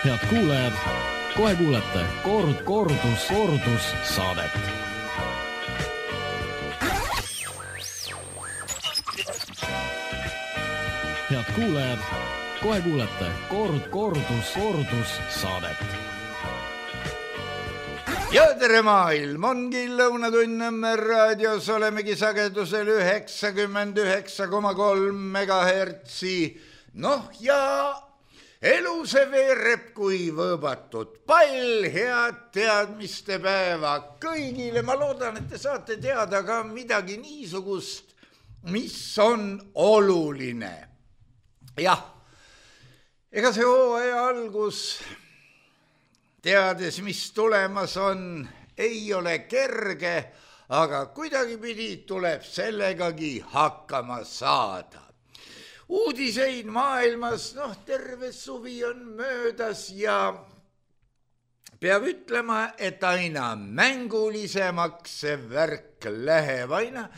Head kuulajad, kohe kuulete kordussaadet. Head kuulajad, kohe kuulete kordussaadet. Ja tere maailm, ongi Lõunatund Nõmme raadios, olemegi sagedusel 99,3 megahertsi. Noh ja elu see veereb kui võõbatud pall, head teadmiste päeva kõigile. Ma loodan, et te saate teada ka midagi niisugust, mis on oluline. Jah, ega see hooaja algus, teades, mis tulemas on, ei ole kerge, aga kuidagipidi tuleb sellegagi hakkama saada. Uudiseid maailmas, terve suvi on möödas ja peab ütlema, et aina mängulisemaks see värk läheb, aina,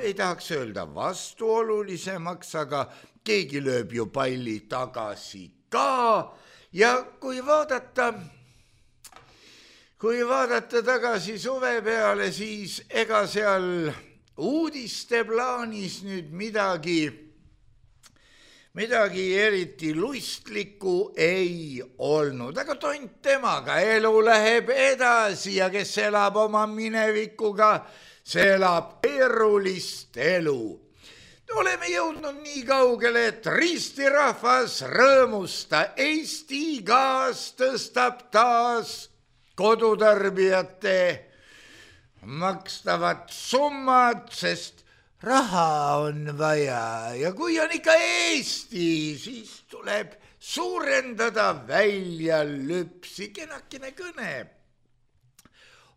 ei tahaks öelda vastuolulisemaks, aga keegi lööb ju palli tagasi ka ja kui vaadata tagasi suve peale, siis ega seal uudiste plaanis nüüd midagi eriti lustlikku ei olnud, aga tont temaga, elu läheb edasi ja kes elab oma minevikuga, see elab keerulist elu. Oleme jõudnud nii kaugele, et ristirahvas rõõmusta, Eesti gaas tõstab taas kodutarbijate makstavat summad, sest raha on vaja ja kui on ikka Eesti, siis tuleb suurendada väljalüpsi. Kenakene kõne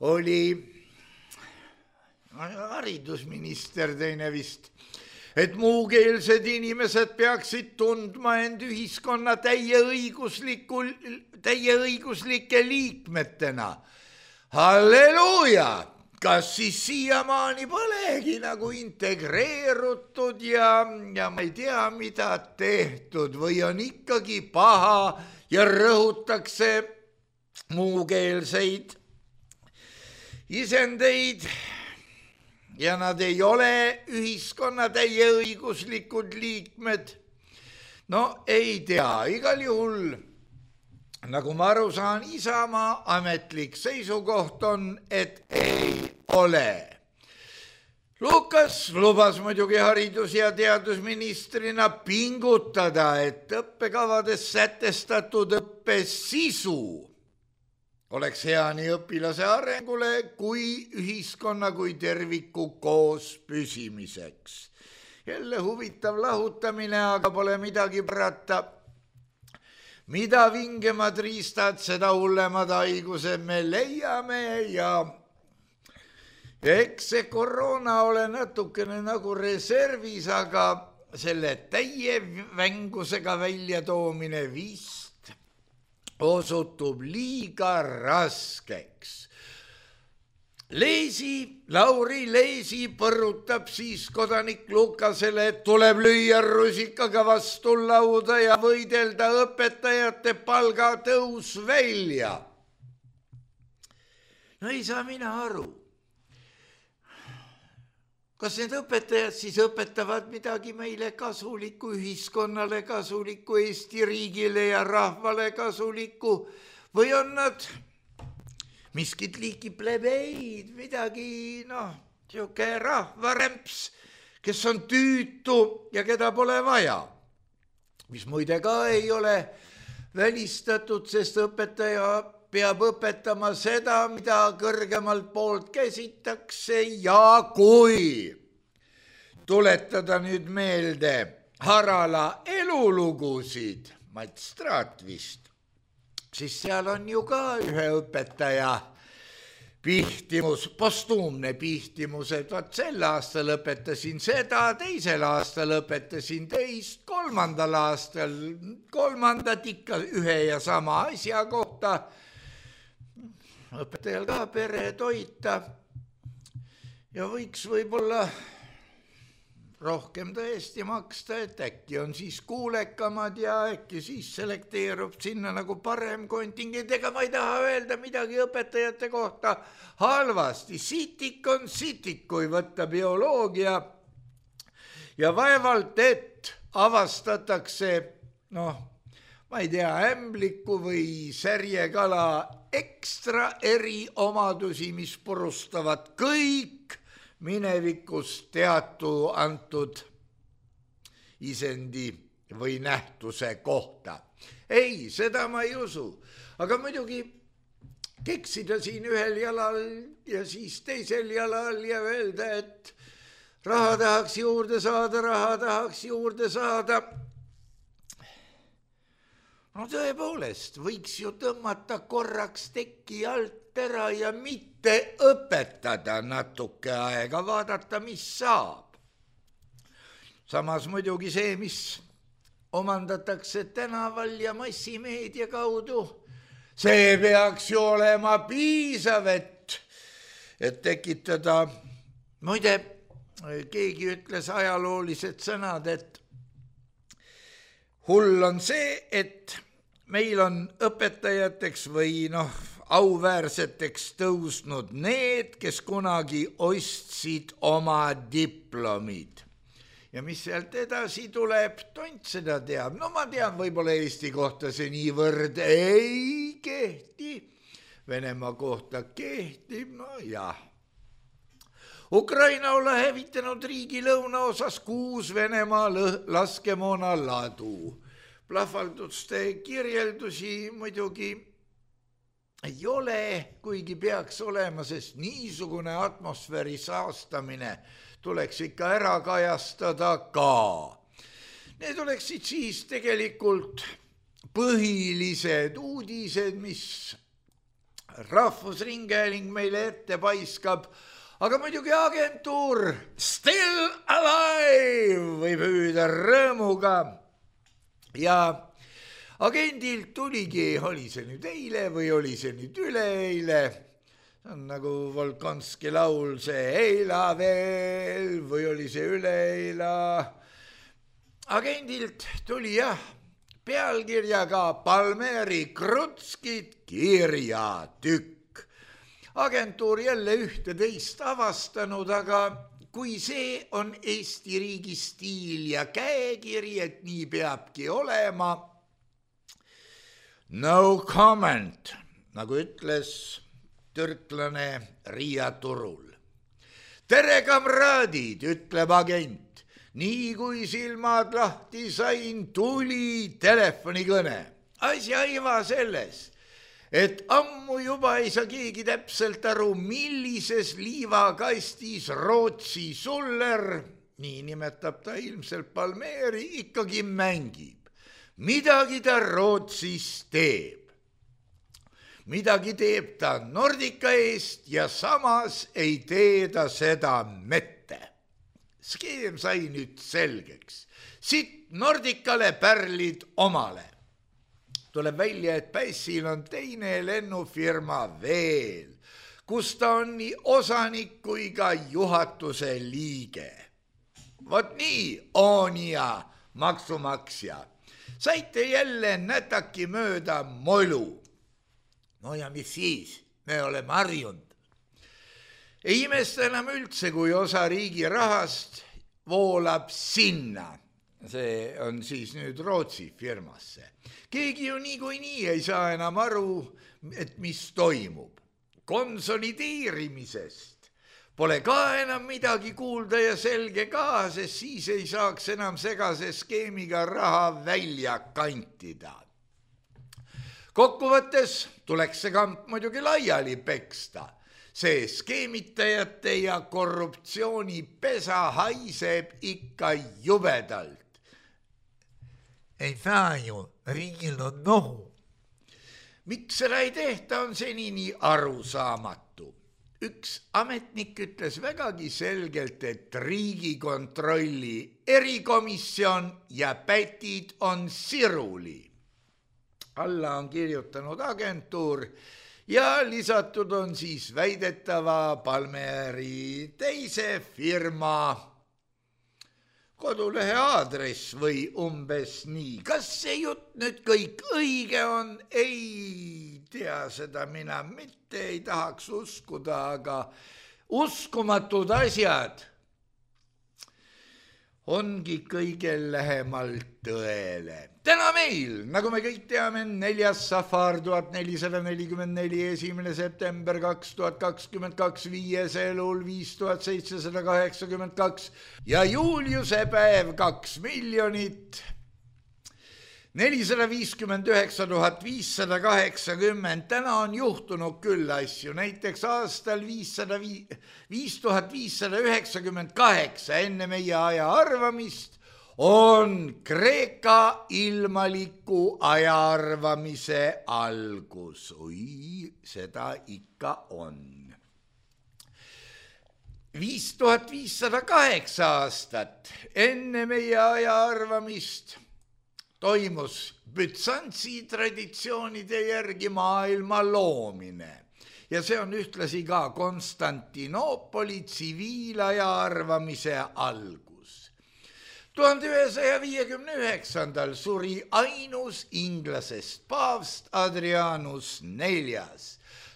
oli haridusminister teine vist, et muukeelsed inimesed peaksid tundma end ühiskonna täieõiguslike liikmetena. Halleluuja! Kas siis siiamaani polegi nagu integreerutud ja ma ei tea, mida tehtud või on ikkagi paha ja rõhutakse muukeelseid isendeid ja nad ei ole ühiskonna täieõiguslikud liikmed. Ei tea, igal juhul, nagu ma aru saan, Isamaa ametlik seisukoht on, et ei ole. Lukas lubas muidugi haridus- ja teadusministrina pingutada, et õppekavades sätestatud õppe sisu oleks hea nii õpilase arengule kui ühiskonna kui terviku koos püsimiseks. Jälle huvitav lahutamine, aga pole midagi parata. Mida vingemad riistad, seda hullemad haigused me leiame ja eks see koroona ole natukene nagu reservis, aga selle täie vängusega väljatoomine vist osutub liiga raskeks. Lauri Leesi põrutab siis kodanik Lukasele, et tuleb lüüa rusikaga vastu lauda ja võidelda õpetajate palgatõus välja. Ei saa mina aru. Kas need õpetajad siis õpetavad midagi meile kasulikku, ühiskonnale kasulikku, Eesti riigile ja rahvale kasulikku või on nad miskit liiki plebeid, midagi, siuke rahvarämps, kes on tüütu ja keda pole vaja. Mis muide ka ei ole välistatud, sest õpetaja peab õpetama seda, mida kõrgemalt poolt käsitakse ja kui tuletada nüüd meelde Harala elulugusid, Mats Straat vist, siis seal on ju ka ühe õpetaja pihtimus, postuumne pihtimus, et sel aastal õpetasin seda, teisel aastal õpetasin teist, kolmandat ikka ühe ja sama asja kohta. Õpetajal ka pere toita ja võiks võib-olla rohkem tõesti maksta, et äkki on siis kuulekamad ja äkki siis selekteerub sinna nagu parem kontingent. Ega ma ei taha öelda midagi õpetajate kohta halvasti. Sitik on sitik, kui võtta bioloogia ja vaevalt, et avastatakse, ma ei tea, ämbliku või särjekala ekstra eriomadusi, mis purustavad kõik minevikus teatu antud isendi või nähtuse kohta. Ei, seda ma ei usu. Aga muidugi keksida siin ühel jalal ja siis teisel jalal ja öelda, et raha tahaks juurde saada. No tõepoolest, võiks ju tõmmata korraks teki alt ära ja mitte õpetada natuke aega, vaadata, mis saab. Samas muidugi see, mis omandatakse tänaval ja massimeedia kaudu, see peaks ju olema piisav, et tekitada. Muide, keegi ütles ajaloolised sõnad, et hull on see, et meil on õpetajateks või auväärseteks tõusnud need, kes kunagi ostsid oma diplomid. Ja mis sealt edasi tuleb, tont seda teab. Ma tean, võib-olla Eesti kohta see niivõrd ei kehti. Venemaa kohta kehtib, jah. Ukraina olla hävitanud riigi lõunaosas 6 Venemaa laskemoona ladu. Plahvalduste kirjeldusi muidugi ei ole, kuigi peaks olema, sest niisugune atmosfääri saastamine tuleks ikka ära kajastada ka. Need oleksid siis tegelikult põhilised uudised, mis Rahvusringhääling meile ette paiskab. Aga muidugi agentuur Still Alive võib hüüda rõõmuga. Ja agendilt tuligi, oli see nüüd eile või oli see nüüd üleeile, see on nagu Volkonski laul, see eila veel või oli see üleeila. Agendilt tuli pealkirjaga Palmeri Krutskid kirjatükk. Agentuur jälle ühte teist avastanud, aga kui see on Eesti riigi stiil ja käekiri, et nii peabki olema, no comment, nagu ütles türklane Riia turul. Tere, kamraadid, ütleb agent. Nii kui silmad lahti sain, tuli telefonikõne. Asja iva selles, et ammu juba ei saa keegi täpselt aru, millises liivakastis Rootsi suller, nii nimetab ta ilmselt Palmeri, ikkagi mängib. Midagi ta Rootsis teeb. Midagi teeb ta Nordica eest ja samas ei tee ta seda mette. Skeem sai nüüd selgeks. Sitt Nordicale, pärlid omale. Tuleb välja, et Pässil on teine lennufirma veel, kus ta on nii osanik kui ka juhatuse liige. Vot nii, Oonia, maksumaksja. Saite jälle nätaki mööda molu. No ja mis siis? Me oleme harjunud. Ei imesta enam üldse, kui osa riigi rahast voolab sinna. See on siis nüüd Rootsi firmasse. Keegi ju niikuinii ei saa enam aru, et mis toimub. Konsolideerimisest pole ka enam midagi kuulda ja selge ka, sest siis ei saaks enam segase skeemiga raha välja kantida. Kokkuvõttes tuleks see kamp muidugi laiali peksta. See skeemitajate ja korruptsiooni pesa haiseb ikka jubedalt. Ei saa ju, riigil on nohu. Miks seda ei tehta, on senini arusaamatu. Üks ametnik ütles vägagi selgelt, et Riigikontrolli erikomisjon ja pätid on siruli. Alla on kirjutanud agentuur ja lisatud on siis väidetava Palmeri teise firma kodulehe aadress või umbes nii. Kas see jutt nüüd kõik õige on? Ei tea, seda mina mitte ei tahaks uskuda, aga uskumatud asjad ongi kõige lähemalt tõele. Täna meil, nagu me kõik teame, 4. safar 1444, 1. september 2022, 5. elul 5782 ja Juliuse päev 2 459 580. Täna on juhtunud küll asju, näiteks aastal 5598 enne meie aja arvamist on Kreeka ilmaliku aja arvamise algus. Oi, seda ikka on. 5508 aastat enne meie aja arvamist toimus Bütsantsi traditsioonide järgi maailma loomine ja see on ühtlasi ka Konstantinoopoli tsiviilaja arvamise algus. 1159. suri ainus inglasest paavst Adrianus IV.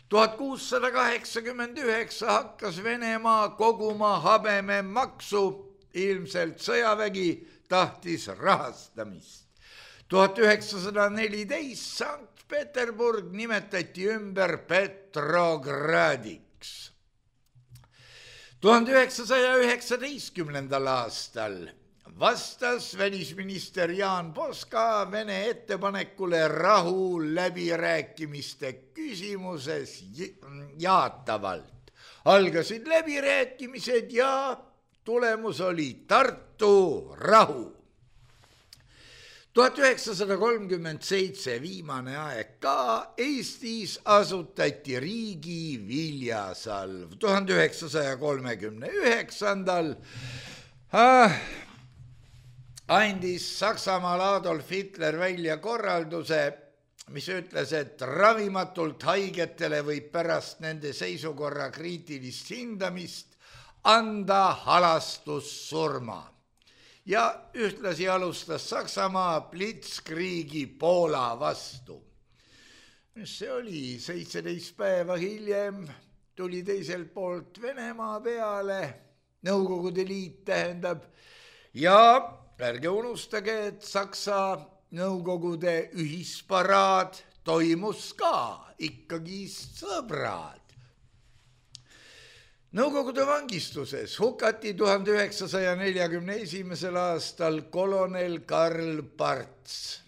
1689 hakkas Venemaa koguma habememaksu, ilmselt sõjavägi tahtis rahastamist. 1914 Sankt-Peterburg nimetati ümber Petrogradiks. 1919. aastal vastas välisminister Jaan Poska Vene ettepanekule rahu läbirääkimiste küsimuses jaatavalt. Algasid läbirääkimised ja tulemus oli Tartu rahu. 1937 viimane aeg ka Eestis asutati riigi viljasalv. 1939. andis Saksamaal Adolf Hitler välja korralduse, mis ütles, et ravimatult haigetele võib pärast nende seisukorra kriitilist hindamist anda halastussurma. Ja ühtlasi alustas Saksamaa blitzkriigi Poola vastu. See oli 17 päeva hiljem, tuli teiselt poolt Venemaa peale, Nõukogude Liit tähendab, ja ärge unustage, et Saksa Nõukogude ühisparaad toimus ka, ikkagi sõbrad. Nõukogude vangistuses hukati 1941. aastal kolonel Karl Parts.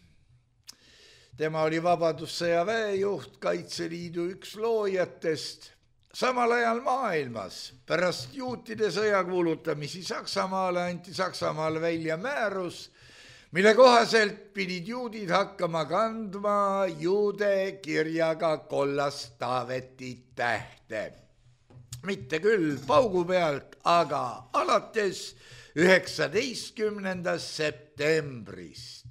Tema oli Vabadussõja väejuht, Kaitseliidu üks loojatest. Samal ajal maailmas pärast juutide sõja kuulutamisi Saksamaale anti Saksamaal välja määrus, mille kohaselt pidid juudid hakkama kandma juude kirjaga kollast Taaveti tähte. Mitte küll paugu pealt, aga alates 19. septembrist.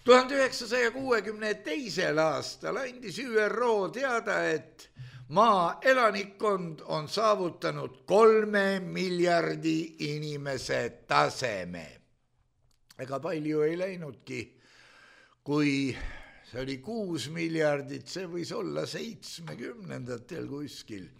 1962. aastal andis ÜRO teada, et maa elanikkond on saavutanud 3 miljardi inimese taseme. Ega palju ei läinudki, kui see oli 6 miljardit, see võis olla 70-ndatel kuskil.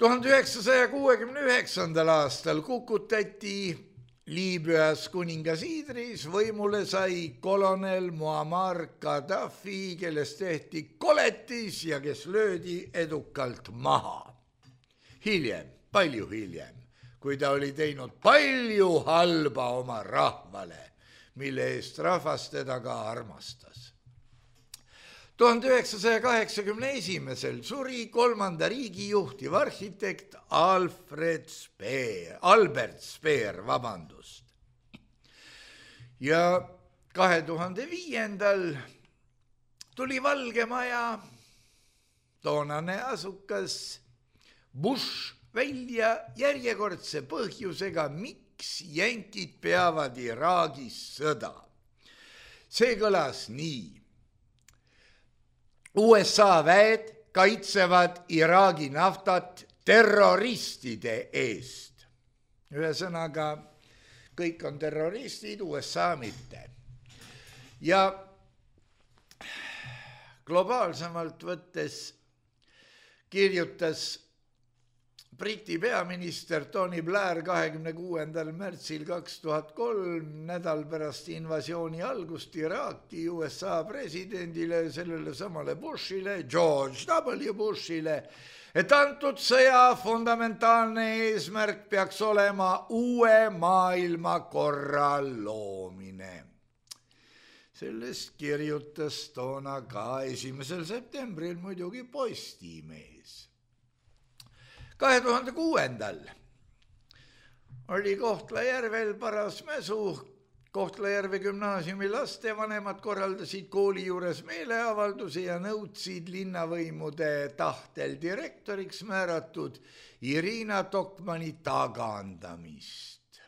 1969. aastal kukutati Liibüas kuningas Idris, võimule sai kolonel Muammar Gaddafi, kellest tehti koletis ja kes löödi edukalt maha. Hiljem, palju hiljem, kui ta oli teinud palju halba oma rahvale, mille eest rahvas teda ka armastas. 1981. suri 3. riigi juhtiv arhitekt Albert Speer. Ja 2005. tuli Valge Maja, toonane asukas Bush välja järjekordse põhjusega, miks jänkid peavad Iraagis sõda. See kõlas nii. USA väed kaitsevad Iraagi naftat terroristide eest. Ühesõnaga, kõik on terroristid, USA mitte. Ja globaalsemalt võttes kirjutas Briti peaminister Tony Blair 26. märtsil 2003 nädal pärast invasiooni algust Iraaki USA presidendile, sellele samale Bushile, George W. Bushile, et antud sõja fundamentaalne eesmärk peaks olema uue maailmakorra loomine. Sellest kirjutas toona ka 1. septembril muidugi Postimees. 2006. oli Kohtla-Järvel paras mäsu. Kohtla-Järve gümnaasiumi lastevanemad korraldasid kooli juures meeleavalduse ja nõudsid linnavõimude tahtel direktoriks määratud Irina Tokmani tagandamist.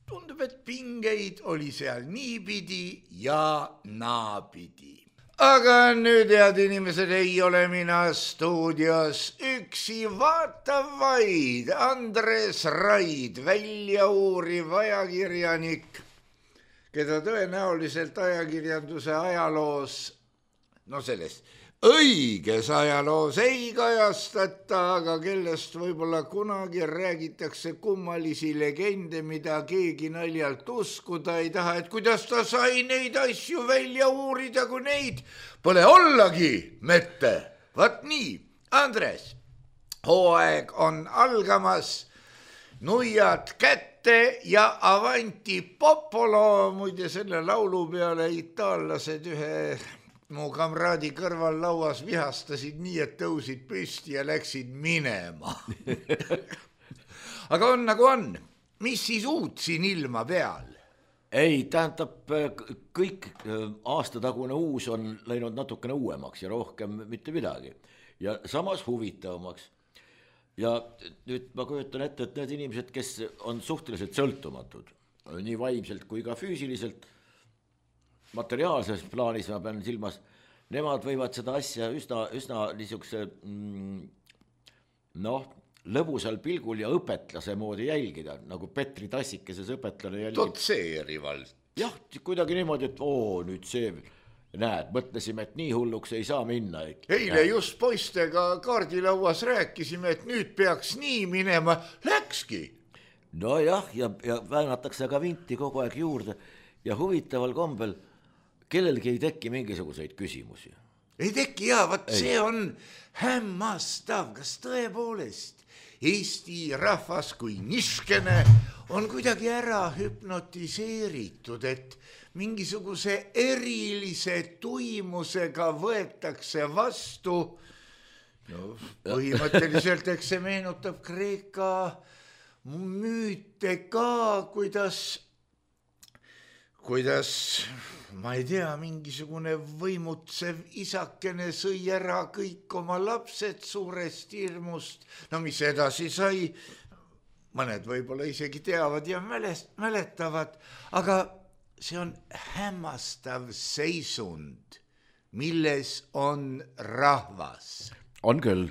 Tundub, et pingeid oli seal niipidi ja naapidi. Aga nüüd, head inimesed, ei ole mina stuudios üksi, vaata vaid Andres Raid, väljauuriv ajakirjanik, keda tõenäoliselt ajakirjanduse ajaloos, selles õiges ajaloos ei kajastata, aga kellest võib-olla kunagi räägitakse kummalisi legende, mida keegi naljalt uskuda ei taha, et kuidas ta sai neid asju välja uurida, kui neid pole ollagi mette. Vaat nii, Andres, hooaeg on algamas, nuiad kätte ja avanti popolo. Muide, selle laulu peale itaallased ühe mu kamraadi kõrval lauas vihastasid nii, et tõusid püsti ja läksid minema. Aga on nagu on. Mis siis uut siin ilma peal? Ei, tähendab, kõik aastatagune uus on läinud natukene uuemaks ja rohkem mitte midagi. Ja samas huvitavamaks. Ja nüüd ma kujutan ette, et need inimesed, kes on suhteliselt sõltumatud, nii vaimselt kui ka füüsiliselt, materiaalses plaanis ma pean silmas, nemad võivad seda asja üsna niisuguse lõbusal pilgul ja õpetlase moodi jälgida, nagu Petri Tassikeses õpetlane jälgib. Dotseerivalt. Jah, kuidagi niimoodi, et nüüd see, näed, mõtlesime, et nii hulluks ei saa minna. Eile just poistega kaardilauas rääkisime, et nüüd peaks nii minema, läkski. No jah, ja väänatakse ka vinti kogu aeg juurde ja huvitaval kombel kellelgi ei teki mingisuguseid küsimusi. Ei teki, vaat see on hämmastav, kas tõepoolest Eesti rahvas kui niskene on kuidagi ära hüpnotiseeritud, et mingisuguse erilise tuimusega võetakse vastu. Põhimõtteliselt, eks see meenutab Kreeka müüte ka, kuidas, ma ei tea, mingisugune võimutsev isakene sõi ära kõik oma lapsed suurest hirmust. Mis edasi sai, mõned võib-olla isegi teavad ja mäletavad, aga see on hämmastav seisund, milles on rahvas. On küll.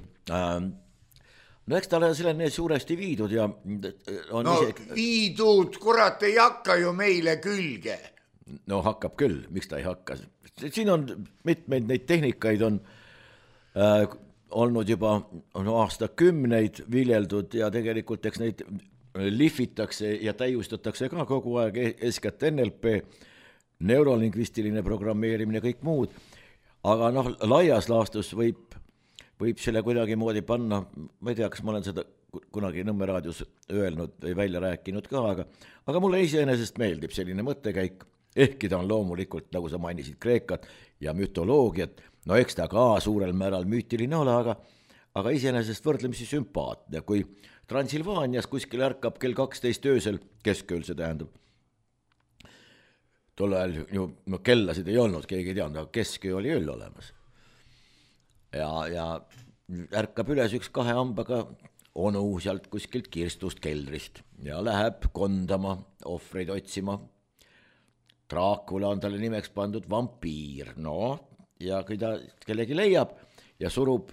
Eks ta on selline suuresti viidud ja on viidud, kurat, ei hakka ju meile külge. Hakkab küll, miks ta ei hakka. Siin on mitmeid neid tehnikaid on olnud juba aastakümneid viljeldud ja tegelikult eks neid lihvitakse ja täiustatakse ka kogu aeg, eeskätt NLP, neurolingvistiline programmeerimine, kõik muud. Aga laias laastus võib selle kuidagi moodi panna, ma ei tea, kas ma olen seda kunagi Nõmme raadios öelnud või välja rääkinud ka, aga mulle iseenesest meeldib selline mõttekäik, ehkki ta on loomulikult, nagu sa mainisid, Kreekat ja mütoloogiat, eks ta ka suurel määral müütiline ole, aga iseenesest võrdlemisi sümpaatne, kui Transilvaanias kuskil ärkab kell 12 öösel, keskööl see tähendab, tol ajal ju kellasid ei olnud, keegi ei teadnud, aga kesköö oli ööl olemas. Ja ärkab üles üks 2 hambaga onu sealt kuskilt kirstust keldrist ja läheb kondama, ohvreid otsima. Draakula on talle nimeks pandud vampiir, ja kui ta kellegi leiab ja surub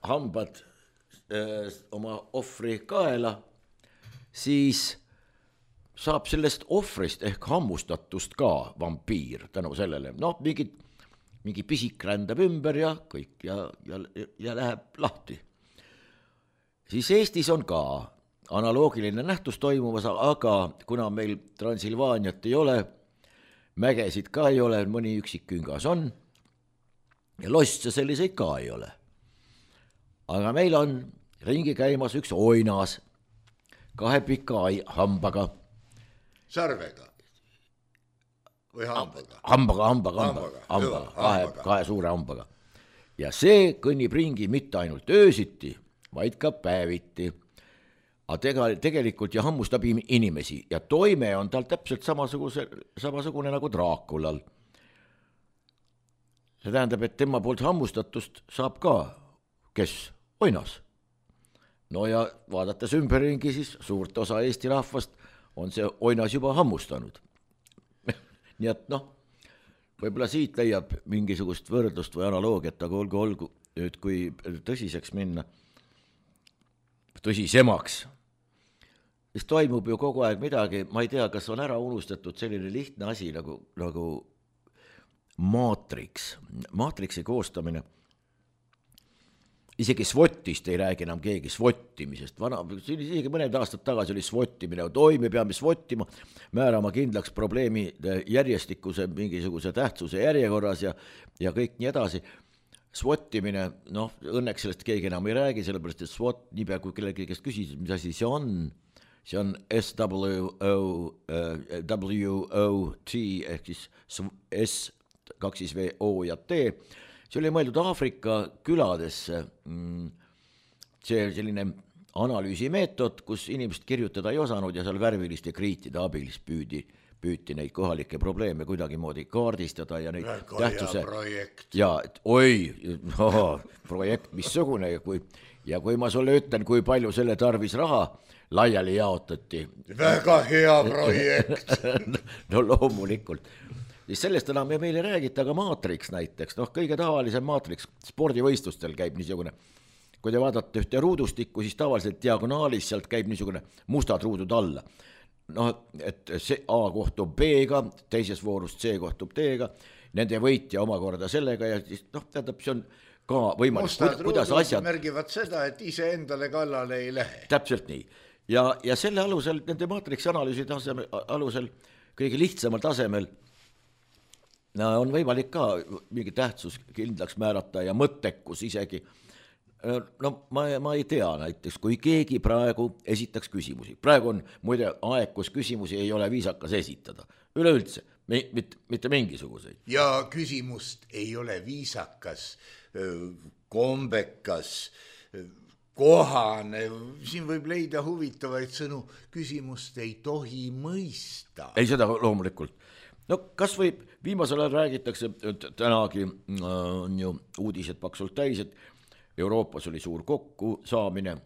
hambad oma ohvri kaela, siis saab sellest ohvrist ehk hammustatust ka vampiir tänu sellele. Noh, mingi pisik rändab ümber ja kõik ja läheb lahti. Siis Eestis on ka analoogiline nähtus toimumas, aga kuna meil Transilvaaniat ei ole, mägesid ka ei ole, mõni üksik küngas on ja losse selliseid ka ei ole. Aga meil on ringi käimas üks oinas 2 pika hambaga. Sarvega või hambaga? Hambaga, kahe suure hambaga. Ja see kõnnib ringi mitte ainult öösiti, vaid ka päeviti. Aga tegelikult ja hammustab inimesi ja toime on tal täpselt samasugune nagu Draakulal. See tähendab, et tema poolt hammustatust saab ka, kes? Oinas. No ja vaadates ümberringi, siis suurt osa Eesti rahvast on see oinas juba hammustanud. Nii et võib-olla siit leiab mingisugust võrdlust või analoogiat, aga olgu nüüd, kui tõsiseks minna, tõsisemaks, siis toimub ju kogu aeg midagi, ma ei tea, kas on ära unustatud selline lihtne asi nagu maatriks, maatriksi koostamine. Isegi SWOT-ist ei räägi enam keegi SWOT-imisest. Isegi mõned aastad tagasi oli SWOT-imine, me peame SWOT-ima, määrama kindlaks probleemi järjestikuse mingisuguse tähtsuse järjekorras ja kõik nii edasi. SWOT-imine, õnneks sellest keegi enam ei räägi, sellepärast et SWOT, niipea kui kellegi kes küsis, mis asi see on SWOT ehk siis S, 2 V, O ja T. See oli mõeldud Aafrika küladesse, see selline analüüsimeetod, kus inimesed kirjutada ei osanud ja seal värviliste kriitide abilis püüti neid kohalikke probleeme kuidagimoodi kaardistada ja neid tähtsuse. Ja projekt missugune ja kui ma sulle ütlen, kui palju selle tarvis raha laiali jaotati. Väga hea projekt. No loomulikult. Siis sellest enam meil ei räägita, aga maatriks näiteks, kõige tavalisem maatriks spordivõistlustel käib niisugune, kui te vaatate ühte ruudustikku, siis tavaliselt diagonaalis sealt käib niisugune mustad ruudud alla. Et see A kohtub B-ga, teises voorust C kohtub D-ga, nende võitja omakorda sellega ja siis tähendab, see on ka võimalik. Mustad ruudud märgivad seda, et ise endale kallale ei lähe. Täpselt nii. Ja selle alusel, nende maatriksi analüüsi alusel, kõige lihtsamal tasemel on võimalik ka mingi tähtsus kindlaks määrata ja mõttekus isegi. Ma ei tea näiteks, kui keegi praegu esitaks küsimusi. Praegu on muide aeg, kus küsimusi ei ole viisakas esitada. Üleüldse, mitte mingisuguseid. Ja küsimust ei ole viisakas, kombekas, kohane. Siin võib leida huvitavaid sõnu. Küsimust ei tohi mõista. Ei, seda loomulikult. Kas või viimasel ajal räägitakse, tänagi on ju uudised paksult täis, et Euroopas oli suur kokku saamine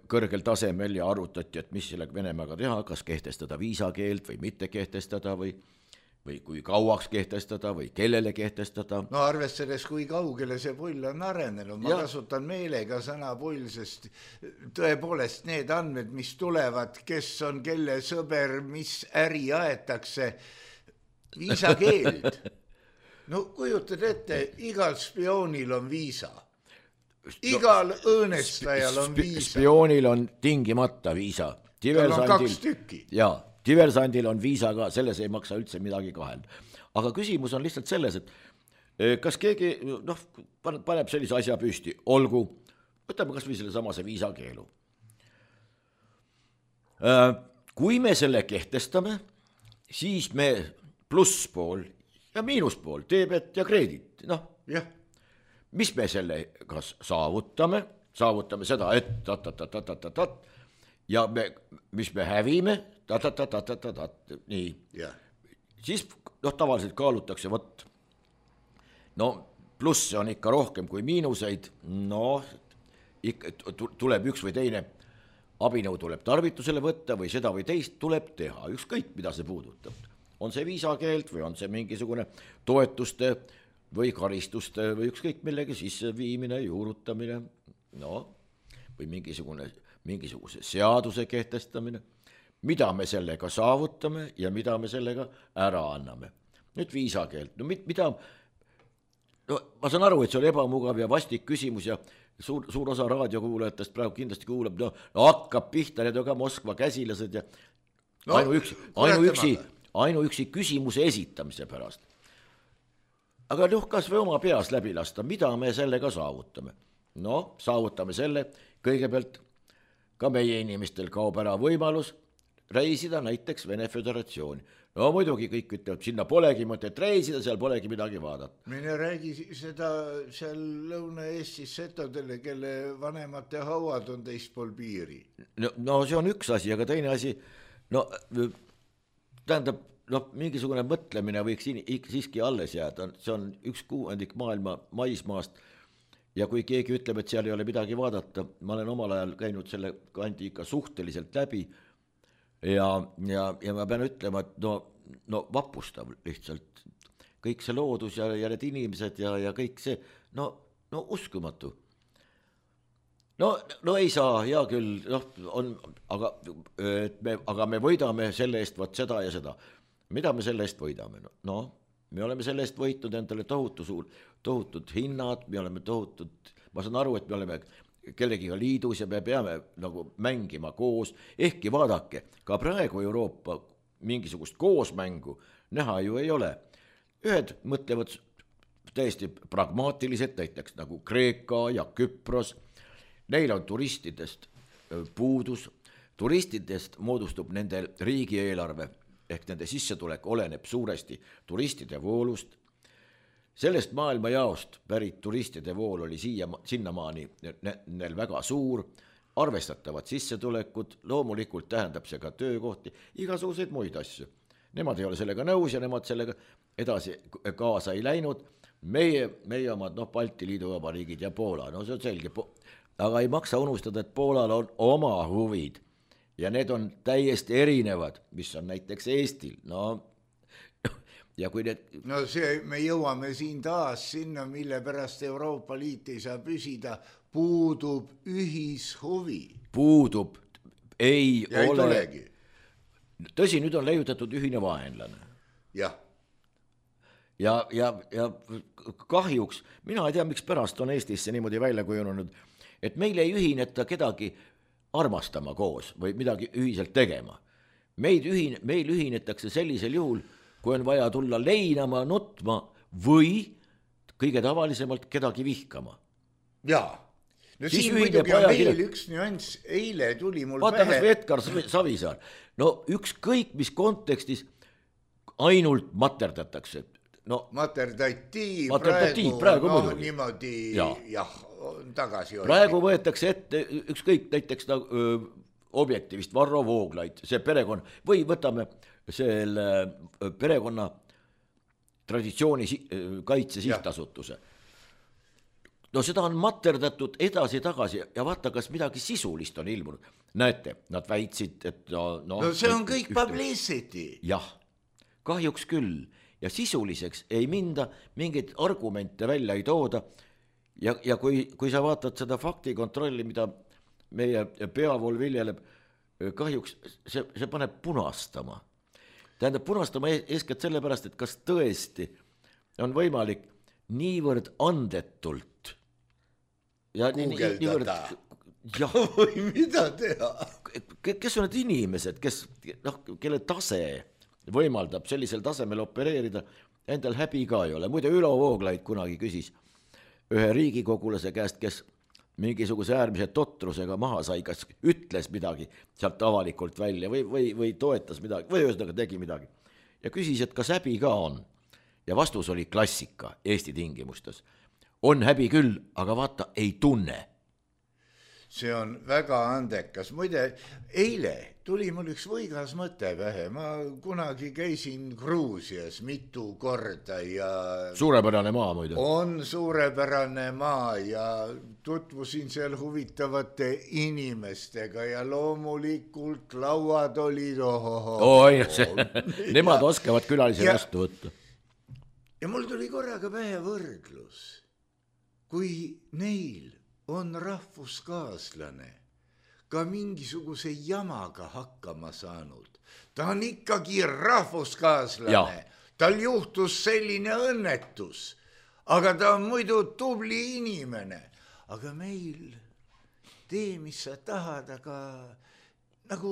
kõrgel tasemel ja arutati, et mis sellega Venemaaga teha, kas kehtestada viisakeeld või mitte kehtestada või kui kauaks kehtestada või kellele kehtestada. Arvestades, kui kaugele see pull on arenenud, ma kasutan meelega sõna pull, sest tõepoolest need andmed, mis tulevad, kes on kelle sõber, mis äri aetakse, viisakeeld. Kujutad ette, igal spioonil on viisa. Igal õõnestajal on viisa. Spioonil on tingimata viisa. Tal on 2 tükki. Jaa, diversandil on viisa ka, selles ei maksa üldse midagi kahel. Aga küsimus on lihtsalt selles, et kas keegi paneb sellise asja püsti, olgu, võtame kas või selle samase viisakeelu. Kui me selle kehtestame, siis me plusspool ja miinuspool, debet ja kreedit, mis me selle kas saavutame seda, et ja mis me hävime, nii. Siis tavaliselt kaalutakse, plusse on ikka rohkem kui miinuseid, tuleb üks või teine abinõu tuleb tarvitusele võtta või seda või teist tuleb teha, ükskõik mida see puudutab. On see viisakeeld või on see mingisugune toetuste või karistuste või ükskõik millegi sisseviimine, juurutamine, või mingisuguse seaduse kehtestamine, mida me sellega saavutame ja mida me sellega ära anname. Nüüd viisakeelt, no mida, no ma saan aru, et see oli ebamugav ja vastik küsimus ja suur osa raadiokuulajatest praegu kindlasti kuulab, no hakkab pihta, need on ka Moskva käsilased ja ainuüksi küsimuse esitamise pärast. Aga noh, kas või oma peas läbi lasta, mida me sellega saavutame? No, saavutame selle, kõigepealt ka meie inimestel kaob ära võimalus reisida näiteks Vene Föderatsiooni. No muidugi kõik ütlevad, sinna polegi mõtet reisida, seal polegi midagi vaadata. Mine räägi seda seal Lõuna-Eestis setodele, kelle vanemate hauad on teispool piiri. No see on üks asi, aga teine asi, no tähendab, mingisugune mõtlemine võiks siiski alles jääda, see on 1/6 maailma maismaast ja kui keegi ütleb, et seal ei ole midagi vaadata, ma olen omal ajal käinud selle kandi ikka suhteliselt läbi ja ma pean ütlema, et no vapustav lihtsalt, kõik see loodus ja need inimesed ja kõik see, no uskumatu. No ei saa, hea küll, aga me võidame selle eest võt seda ja seda. Mida me selle eest võidame? No, me oleme selle eest võitnud endale tohutud hinnad, me oleme ma saan aru, et me oleme kellegiga liidus ja me peame nagu mängima koos, ehkki vaadake, ka praegu Euroopa mingisugust koosmängu näha ju ei ole. Ühed mõtlevad täiesti pragmaatiliselt, näiteks nagu Kreeka ja Küpros, neil on turistidest puudus, turistidest moodustub nende riigieelarve, ehk nende sissetulek oleneb suuresti turistide voolust. Sellest maailma jaost pärit turistide vool oli sinnamaani neil väga suur, arvestatavad sissetulekud, loomulikult tähendab see ka töökohti, igasuguseid muid asju. Nemad ei ole sellega nõus ja nemad sellega edasi kaasa ei läinud. Meie omad, Balti Liidu vabariigid ja Poola, see on selge, aga ei maksa unustada, et Poolal on oma huvid ja need on täiesti erinevad, mis on näiteks Eestil. Ja kui need... No see, me jõuame siin taas sinna, mille pärast Euroopa Liit ei saa püsida, puudub ühishuvi. Puudub, ei ja ole. Ei tulegi. Tõsi, nüüd on leiutatud ühine vaenlane. Jah. Ja kahjuks, mina ei tea, miks pärast on Eestisse niimoodi välja kujunenud, et meil ei ühineta kedagi armastama koos või midagi ühiselt tegema. Meil ühinetakse sellisel juhul, kui on vaja tulla leinama, nutma või kõige tavalisemalt kedagi vihkama. Jaa. No siin muidugi on veel üks nüanss, eile tuli mul vaata, pähe. Vaata, kas või Edgar Savisaar. No ükskõik, mis kontekstis ainult materdatakse. Materdatiiv praegu muidugi. Niimoodi, jah, tagasi. Praegu võetakse ette ükskõik näiteks objektivist Varro Vooglaid, see perekond, või võtame selle perekonna traditsiooni kaitse sihtasutuse. No seda on materdatud edasi-tagasi ja vaata, kas midagi sisulist on ilmunud. Näete, nad väitsid, et no see on kõik publicity. Jah, kahjuks küll. Ja sisuliseks ei minda, mingeid argumente välja ei tooda. Ja kui sa vaatad seda faktikontrolli, mida meie peavool viljeleb, kahjuks see paneb punastama. Tähendab punastama eeskätt sellepärast, et kas tõesti on võimalik niivõrd andetult ja Guugeldada. Või mida teha? Kes on need inimesed, kelle tase võimaldab sellisel tasemel opereerida, endal häbi ka ei ole. Muide, Ülo Vooglaid kunagi küsis ühe riigikogulase käest, kes mingisuguse äärmise totrusega maha sai, kas ütles midagi sealt avalikult välja või toetas midagi või ühesõnaga tegi midagi. Ja küsis, et kas häbi ka on. Ja vastus oli klassika Eesti tingimustes. On häbi küll, aga vaata, ei tunne. See on väga andekas. Muide, eile tuli mul üks võigas mõte pähe. Ma kunagi käisin Gruusias mitu korda ja... Suurepärane maa muide. On suurepärane maa ja tutvusin seal huvitavate inimestega ja loomulikult lauad olid Nemad oskavad külalisi vastu võtta. Ja mul tuli korraga pähe võrdlus. Kui neil on rahvuskaaslane, ka mingisuguse jamaga hakkama saanud. Ta on ikkagi rahvuskaaslane. Tal juhtus selline õnnetus, aga ta on muidu tubli inimene. Aga meil tee, mis sa tahad, aga nagu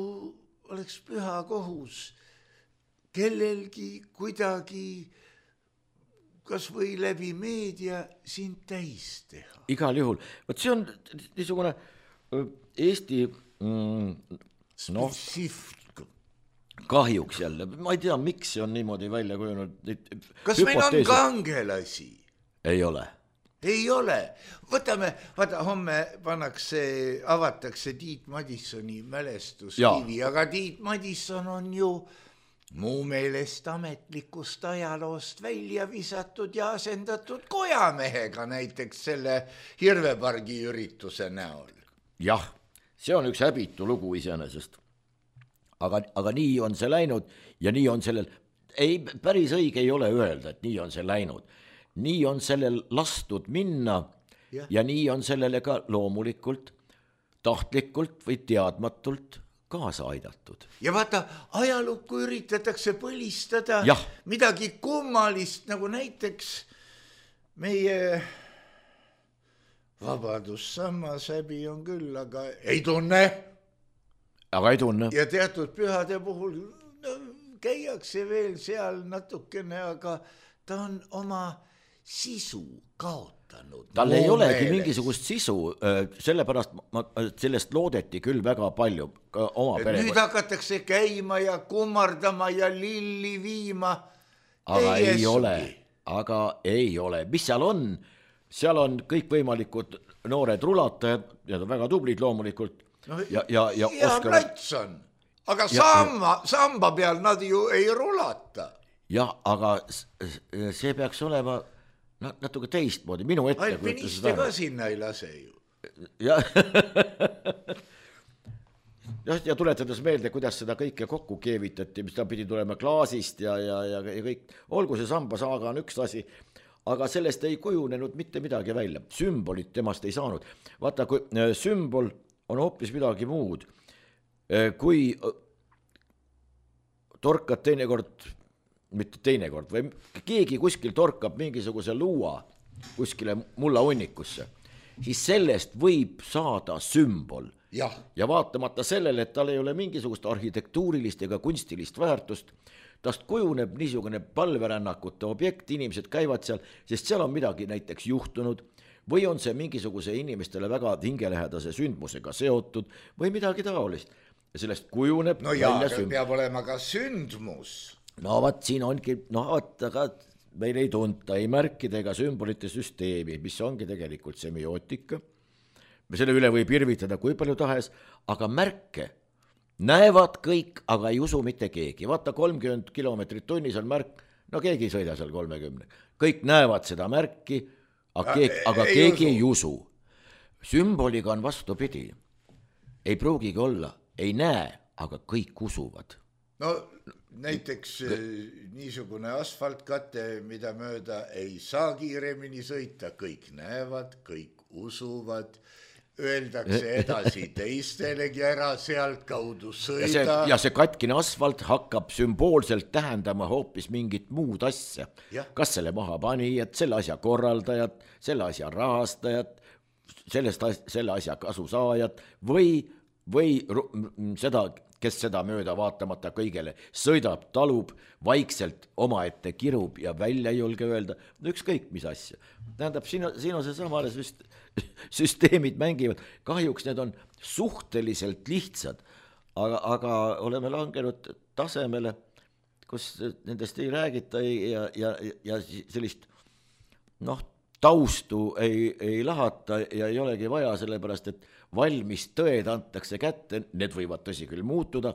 oleks püha kohus kellelgi kuidagi kas või läbi meedia sind täis teha. Igal juhul. Võt see on niisugune Eesti kahjuks jälle. Ma ei tea, miks see on niimoodi välja kujunud. Kas meil on kangelasi? Ei ole. Ei ole. Vaata, homme avatakse Tiit Madissoni mälestuskivi, aga Tiit Madisson on ju muu meelest ametlikust ajaloost välja visatud ja asendatud kojamehega näiteks selle Hirvepargi ürituse näol. Jah, see on üks häbitu lugu iseenesest. Aga nii on see läinud ja nii on sellel, ei, päris õige ei ole öelda, et nii on see läinud. Nii on sellel lastud minna ja nii on sellele ka loomulikult, tahtlikult või teadmatult kaasa aidatud. Ja vaata, ajalukku üritatakse põlistada midagi kummalist, nagu näiteks meie Vabadussammas häbi on küll, aga ei tunne. Aga ei tunne. Ja teatud pühade puhul käiakse veel seal natukene, aga ta on oma sisu kaotanud. Tal ei olegi mingisugust sisu, sellepärast sellest loodeti küll väga palju oma pere. Nüüd hakatakse käima ja kummardama ja lilli viima. Aga ei ole. Mis seal on? Seal on kõikvõimalikud noored rulatajad, ja väga tublid loomulikult. Ja plats on. Aga samba peal nad ju ei rulata. Ja, aga see peaks olema natuke teistmoodi, minu ette. Alpiniste ka sinna ei lase ju. Ja tuletades meelde, kuidas seda kõike kokku keevitati, mis ta pidi tulema klaasist ja kõik. Olgu see sambasaaga on üks asi, aga sellest ei kujunenud mitte midagi välja. Sümbolit temast ei saanud. Vaata, kui sümbol on hoopis midagi muud. Kui torkad teinekord, või keegi kuskil torkab mingisuguse luua kuskile mullaunnikusse, siis sellest võib saada sümbol. Ja vaatamata sellele, et tal ei ole mingisugust arhitektuurilist ega kunstilist väärtust, tast kujuneb niisugune palverännakute objekt, inimesed käivad seal, sest seal on midagi näiteks juhtunud, või on see mingisuguse inimestele väga hingelähedase sündmusega seotud, või midagi taolist. Ja sellest kujuneb välja sündmus. Peab olema ka sündmus. No vaat siin ongi, aga meil ei tunta ei märkide ega sümbolite süsteemi, mis ongi tegelikult semiootika. Selle üle võib irvitada kui palju tahes, aga märke näevad kõik, aga ei usu mitte keegi. Vaata 30 kilomeetrit tunnis on märk, no keegi ei sõida seal 30. Kõik näevad seda märki, aga keegi ei usu. Sümboliga on vastupidi. Ei pruugigi olla, ei näe, aga kõik usuvad. No näiteks niisugune asfaltkate, mida mööda ei saa kiiremini sõita, kõik näevad, kõik usuvad, öeldakse edasi teistelegi ära sealt kaudu sõida. Ja see katkine asfalt hakkab sümboolselt tähendama hoopis mingit muud asja. Kas selle maha panijad, selle asja korraldajad, selle asja rahastajad, selle asja kasusaajad või seda, kes seda mööda vaatamata kõigele sõidab, talub, vaikselt omaette kirub ja välja ei julge öelda, ükskõik mis asja. Tähendab, siin on see samale süsteemid mängivad. Kahjuks need on suhteliselt lihtsad, aga oleme langenud tasemele, kus nendest ei räägita ja sellist taustu ei lahata ja ei olegi vaja, sellepärast, et valmis tõed antakse kätte, need võivad tõsi küll muutuda,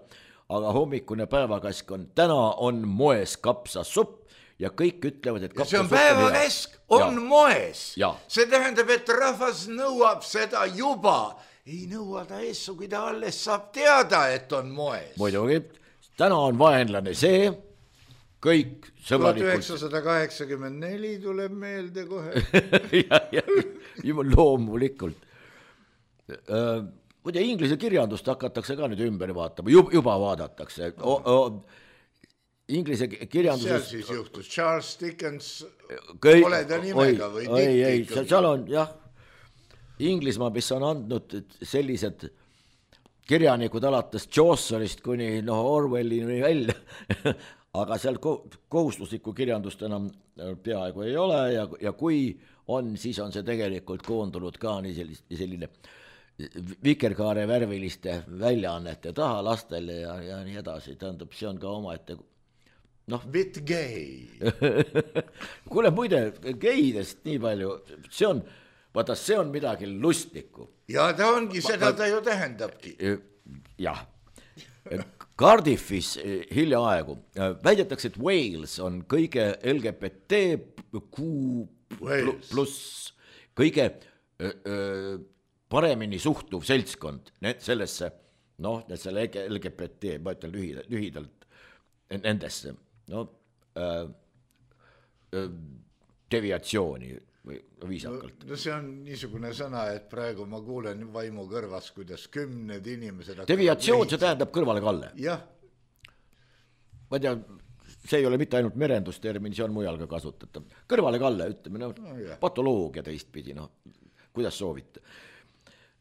aga hommikune päevakask on, täna on moes kapsasupp ja kõik ütlevad, et see on päevakäsk, on moes. See tähendab, et rahvas nõuab seda juba. Ei nõua ta eessu, kui ta alles saab teada, et on moes. Muidugi, täna on vaenlane see, kõik sõbralikult. 1984 tuleb meelde kohe. Loomulikult. muide inglise kirjandust hakatakse ka nüüd ümber vaatama, juba vaadatakse. Inglise kirjanduses... Seal siis juhtus Charles Dickens, pole ta nimega või ei, seal on jah, Inglismaa, mis on andnud sellised kirjanikud alates Chaucerist kuni Orwellini välja, aga seal kohustuslikku kirjandust enam peaaegu ei ole ja kui on, siis on see tegelikult koondunud ka nii selline vikerkaare värviliste väljaannete taha lastele ja nii edasi, tähendab, see on ka omaette bit gay. Kuule, muide, geidest nii palju, see on midagi lustlikku. Ja ta ongi, seda ta ju tähendabki. Jah. Cardiffis hiljaaegu väidetakse, et Wales on kõige LGBTQ pluss kõige paremini suhtuv seltskond sellesse, selle LGBT, ma ütlen lühidalt nendesse, deviatsiooni või viisakalt. No see on niisugune sõna, et praegu ma kuulen vaimu kõrvas, kuidas 10 inimesed... Deviatsioon, see tähendab kõrvalekalle. Jah. Ma tean, see ei ole mitte ainult merendustermin, see on mujal ka kasutatav. Kõrvalekalle, ütleme, patoloogia teistpidi, kuidas soovite.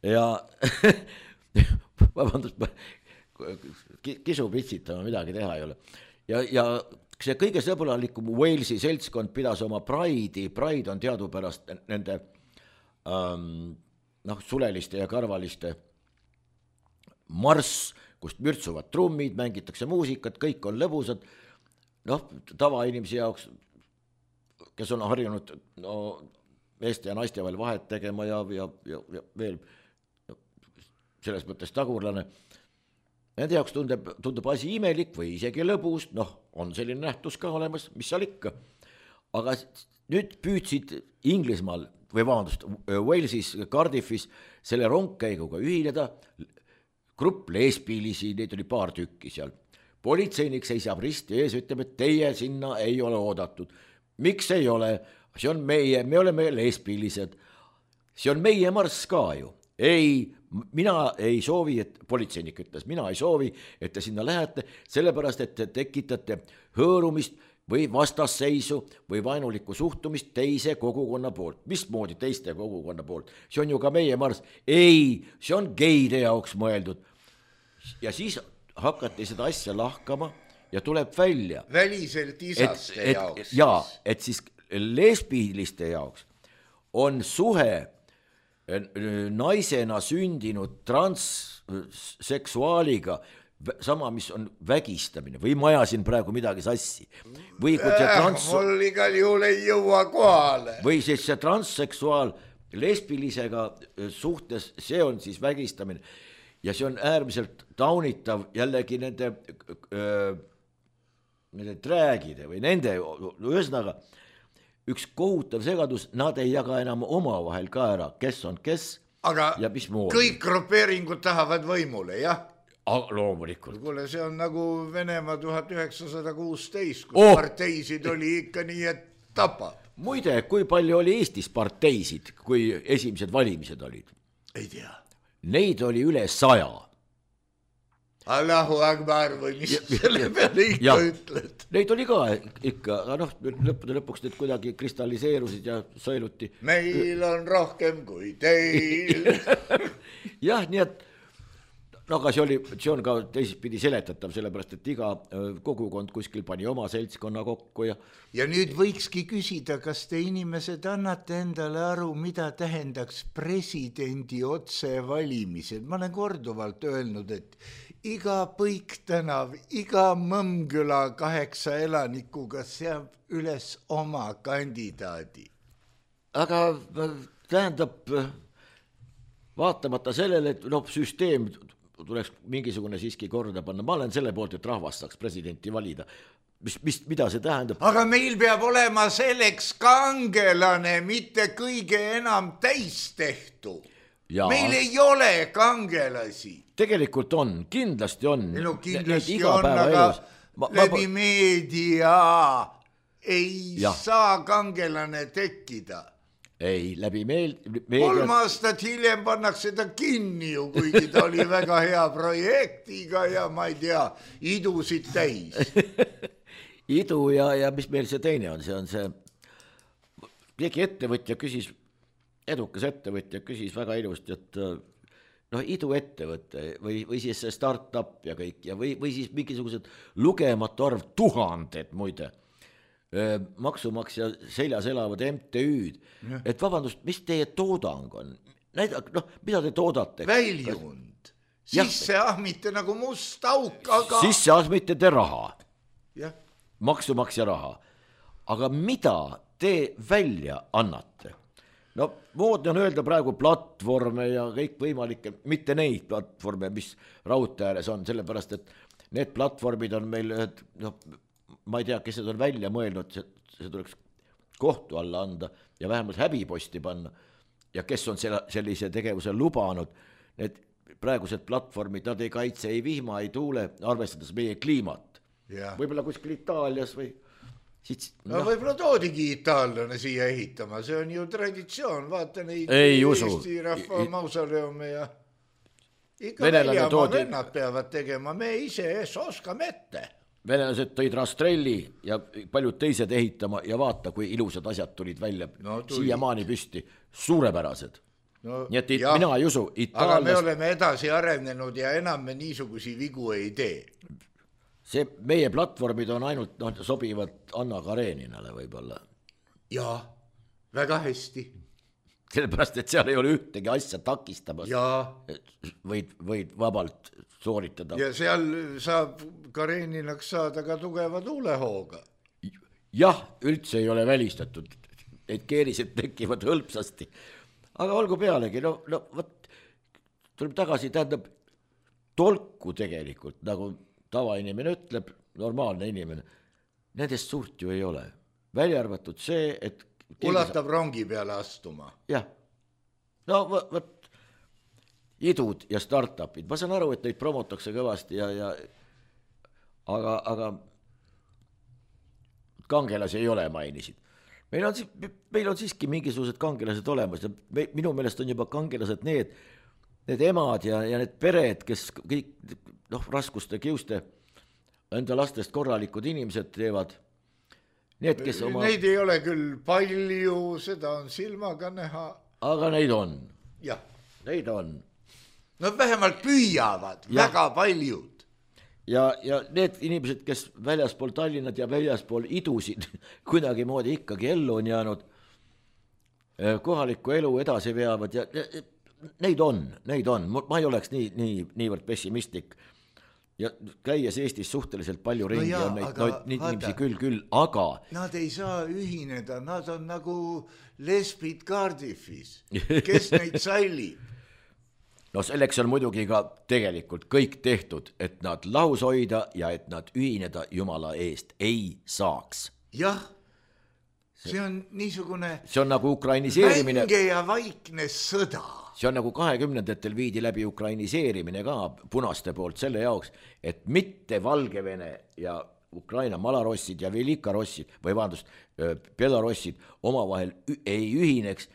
Ja vabandust, kisu pitsitama midagi teha ei ole. Ja see kõige sõbralikum Walesi seltskond pidas oma Pride on teadupärast nende suleliste ja karvaliste marss, kust mürtsuvad trummid, mängitakse muusikat, kõik on lõbusad, tavainimese jaoks, kes on harjunud meeste ja naiste vahel vahet tegema ja veel selles mõttes tagurlane, nende jaoks tundub asi imelik või isegi lõbus, on selline nähtus ka olemas, mis seal ikka. Aga nüüd püüdsid Inglismaal, või vabandust, Walesis, Cardiffis selle rongkäiguga ühineda grupp lesbilisi, neid oli paar tükki seal. Politseinik seisab risti ees, ütleb, et teie sinna ei ole oodatud. Miks ei ole? See on me oleme lesbilised. See on meie marss ka ju. Ei, mina ei soovi, et politseinik ütles, mina ei soovi, et te sinna lähete, sellepärast, et te tekitate hõõrumist või vastasseisu või vaenulikku suhtumist teise kogukonna poolt. Mismoodi teiste kogukonna poolt? See on ju ka meie marss. Ei, see on geide jaoks mõeldud. Ja siis hakati seda asja lahkama ja tuleb välja. Väliselt isaste jaoks. Ja, et siis lesbiliste jaoks on suhe naisena sündinud transseksuaaliga sama, mis on vägistamine või ma ajasin praegu midagi sassi või kui see mul igal juhul ei jõua kohale või siis see transseksuaal lesbilisega suhtes, see on siis vägistamine ja see on äärmiselt taunitav jällegi nende träägide või nende ühesõnaga üks kohutav segadus, nad ei jaga enam omavahel ka ära, kes on kes aga ja mis moodi. Kõik grupeeringud tahavad võimule, jah? Loomulikult. Kuule, see on nagu Venemaa 1916, kus parteisid oli ikka nii, et tapab. Muide, kui palju oli Eestis parteisid, kui esimesed valimised olid? Ei tea. Neid oli üle 100. Allahu Akbar või mis selle peale ikka ütled. Neid oli ka ikka, aga lõpuks need kuidagi kristalliseerusid ja sõeluti. Meil on rohkem kui teil. Jah, nii et aga see on ka teisipidi seletatav, sellepärast, et iga kogukond kuskil pani oma seltskonna kokku ja nüüd võikski küsida, kas te inimesed annate endale aru, mida tähendaks presidendi otsevalimised. Ma olen korduvalt öelnud, et iga Põiktänav, iga Mõmmküla 8 elanikuga seab üles oma kandidaadi. Aga tähendab, vaatamata sellele, et süsteem tuleks mingisugune siiski korda panna. Ma olen selle poolt, et rahvas saaks presidenti valida. Mida see tähendab? Aga meil peab olema selleks kangelane, mitte kõige enam täistehtu. Meil ei ole kangelasi. Tegelikult on, kindlasti on. Kindlasti on, aga läbi meedia ei saa kangelane tekkida. ei, läbi 3 aastat hiljem pannakse ta kinni ju, kuigi ta oli väga hea projektiga ja ma ei tea, idusid täis. idu ja mis meil see teine on, see on see, keegi ettevõtja küsis, edukas ettevõtja küsis väga ilusti, et noh, iduettevõte või siis see startup ja kõik ja või siis mingisugused lugematu arv, 1000 muide, maksumaksja seljas elavad MTÜ-d, et vabandust, mis teie toodang on? Noh, mida te toodate? Väljund, sisse ahmite nagu must auk, aga... Sisse ahmite te raha, maksumaksja raha, aga mida te välja annate? No moodne on öelda praegu platvorme ja kõik võimalikke, mitte neid platvorme, mis raudtee ääres on, sellepärast, et need platvormid on meil, noh, ma ei tea, kes need on välja mõelnud, see tuleks kohtu alla anda ja vähemalt häbiposti panna ja kes on sellise tegevuse lubanud, need praegused platvormid, nad ei kaitse ei vihma, ei tuule, arvestades meie kliimat. Võib-olla kuskil Itaalias või... No võib-olla toodigi itaallane siia ehitama, see on ju traditsioon, vaata neid Eesti rahva mausoleume ja ikka väljamaa vennad peavad tegema, me ise oskame ette. Venelased tõid Rastrelli ja paljud teised ehitama ja vaata, kui ilusad asjad tulid välja siiamaani püsti, suurepärased. Nii et mina ei usu, aga me oleme edasi arenenud ja enam me niisugusi vigu ei tee. See meie platvormid on ainult, sobivad Anna Kareninale võib-olla. Jaa, väga hästi. Sellepärast, et seal ei ole ühtegi asja takistamas. Võid vabalt sooritada. Ja seal saab Kareninaks saada ka tugeva tuulehooga. Jah, üldse ei ole välistatud. Need keerised tekivad hõlpsasti. Aga olgu pealegi, tuleb tagasi, tähendab tolku tegelikult, nagu tavainimene ütleb, normaalne inimene, nendest suurt ju ei ole. Välja arvatud see, et... Ulatab rongi peale astuma. Jah. No võt, idud ja startupid. Ma saan aru, et neid promotakse kõvasti aga kangelasi ei ole, mainisid. Meil on siiski mingisugused kangelased olemas ja minu meelest on juba kangelased need emad ja need pered, kes kõik raskuste kiuste enda lastest korralikud inimesed teevad. Need, kes Neid ei ole küll palju, seda on silmaga näha. Aga neid on. Jah. Neid on. No vähemalt püüavad, väga paljud. Ja need inimesed, kes väljaspool Tallinnat ja väljaspool idusid kuidagi moodi ikkagi ellu on jäänud, kohalikku elu edasi veavad ja neid on. Ma ei oleks niivõrd pessimistlik. Ja käies Eestis suhteliselt palju ringi on neid inimesi küll, aga... Nad ei saa ühineda, nad on nagu lesbid Cardiffis, kes neid sallib. No selleks on muidugi ka tegelikult kõik tehtud, et nad lahus hoida ja et nad ühineda Jumala eest ei saaks. Jah, see on niisugune... See on nagu ukrainiseerimine... Vänge ja vaikne sõda. See on nagu 20-ndatel viidi läbi ukrainiseerimine ka punaste poolt selle jaoks, et mitte Valgevene ja Ukraina malarossid ja velikarossid või belarossid omavahel ei ühineks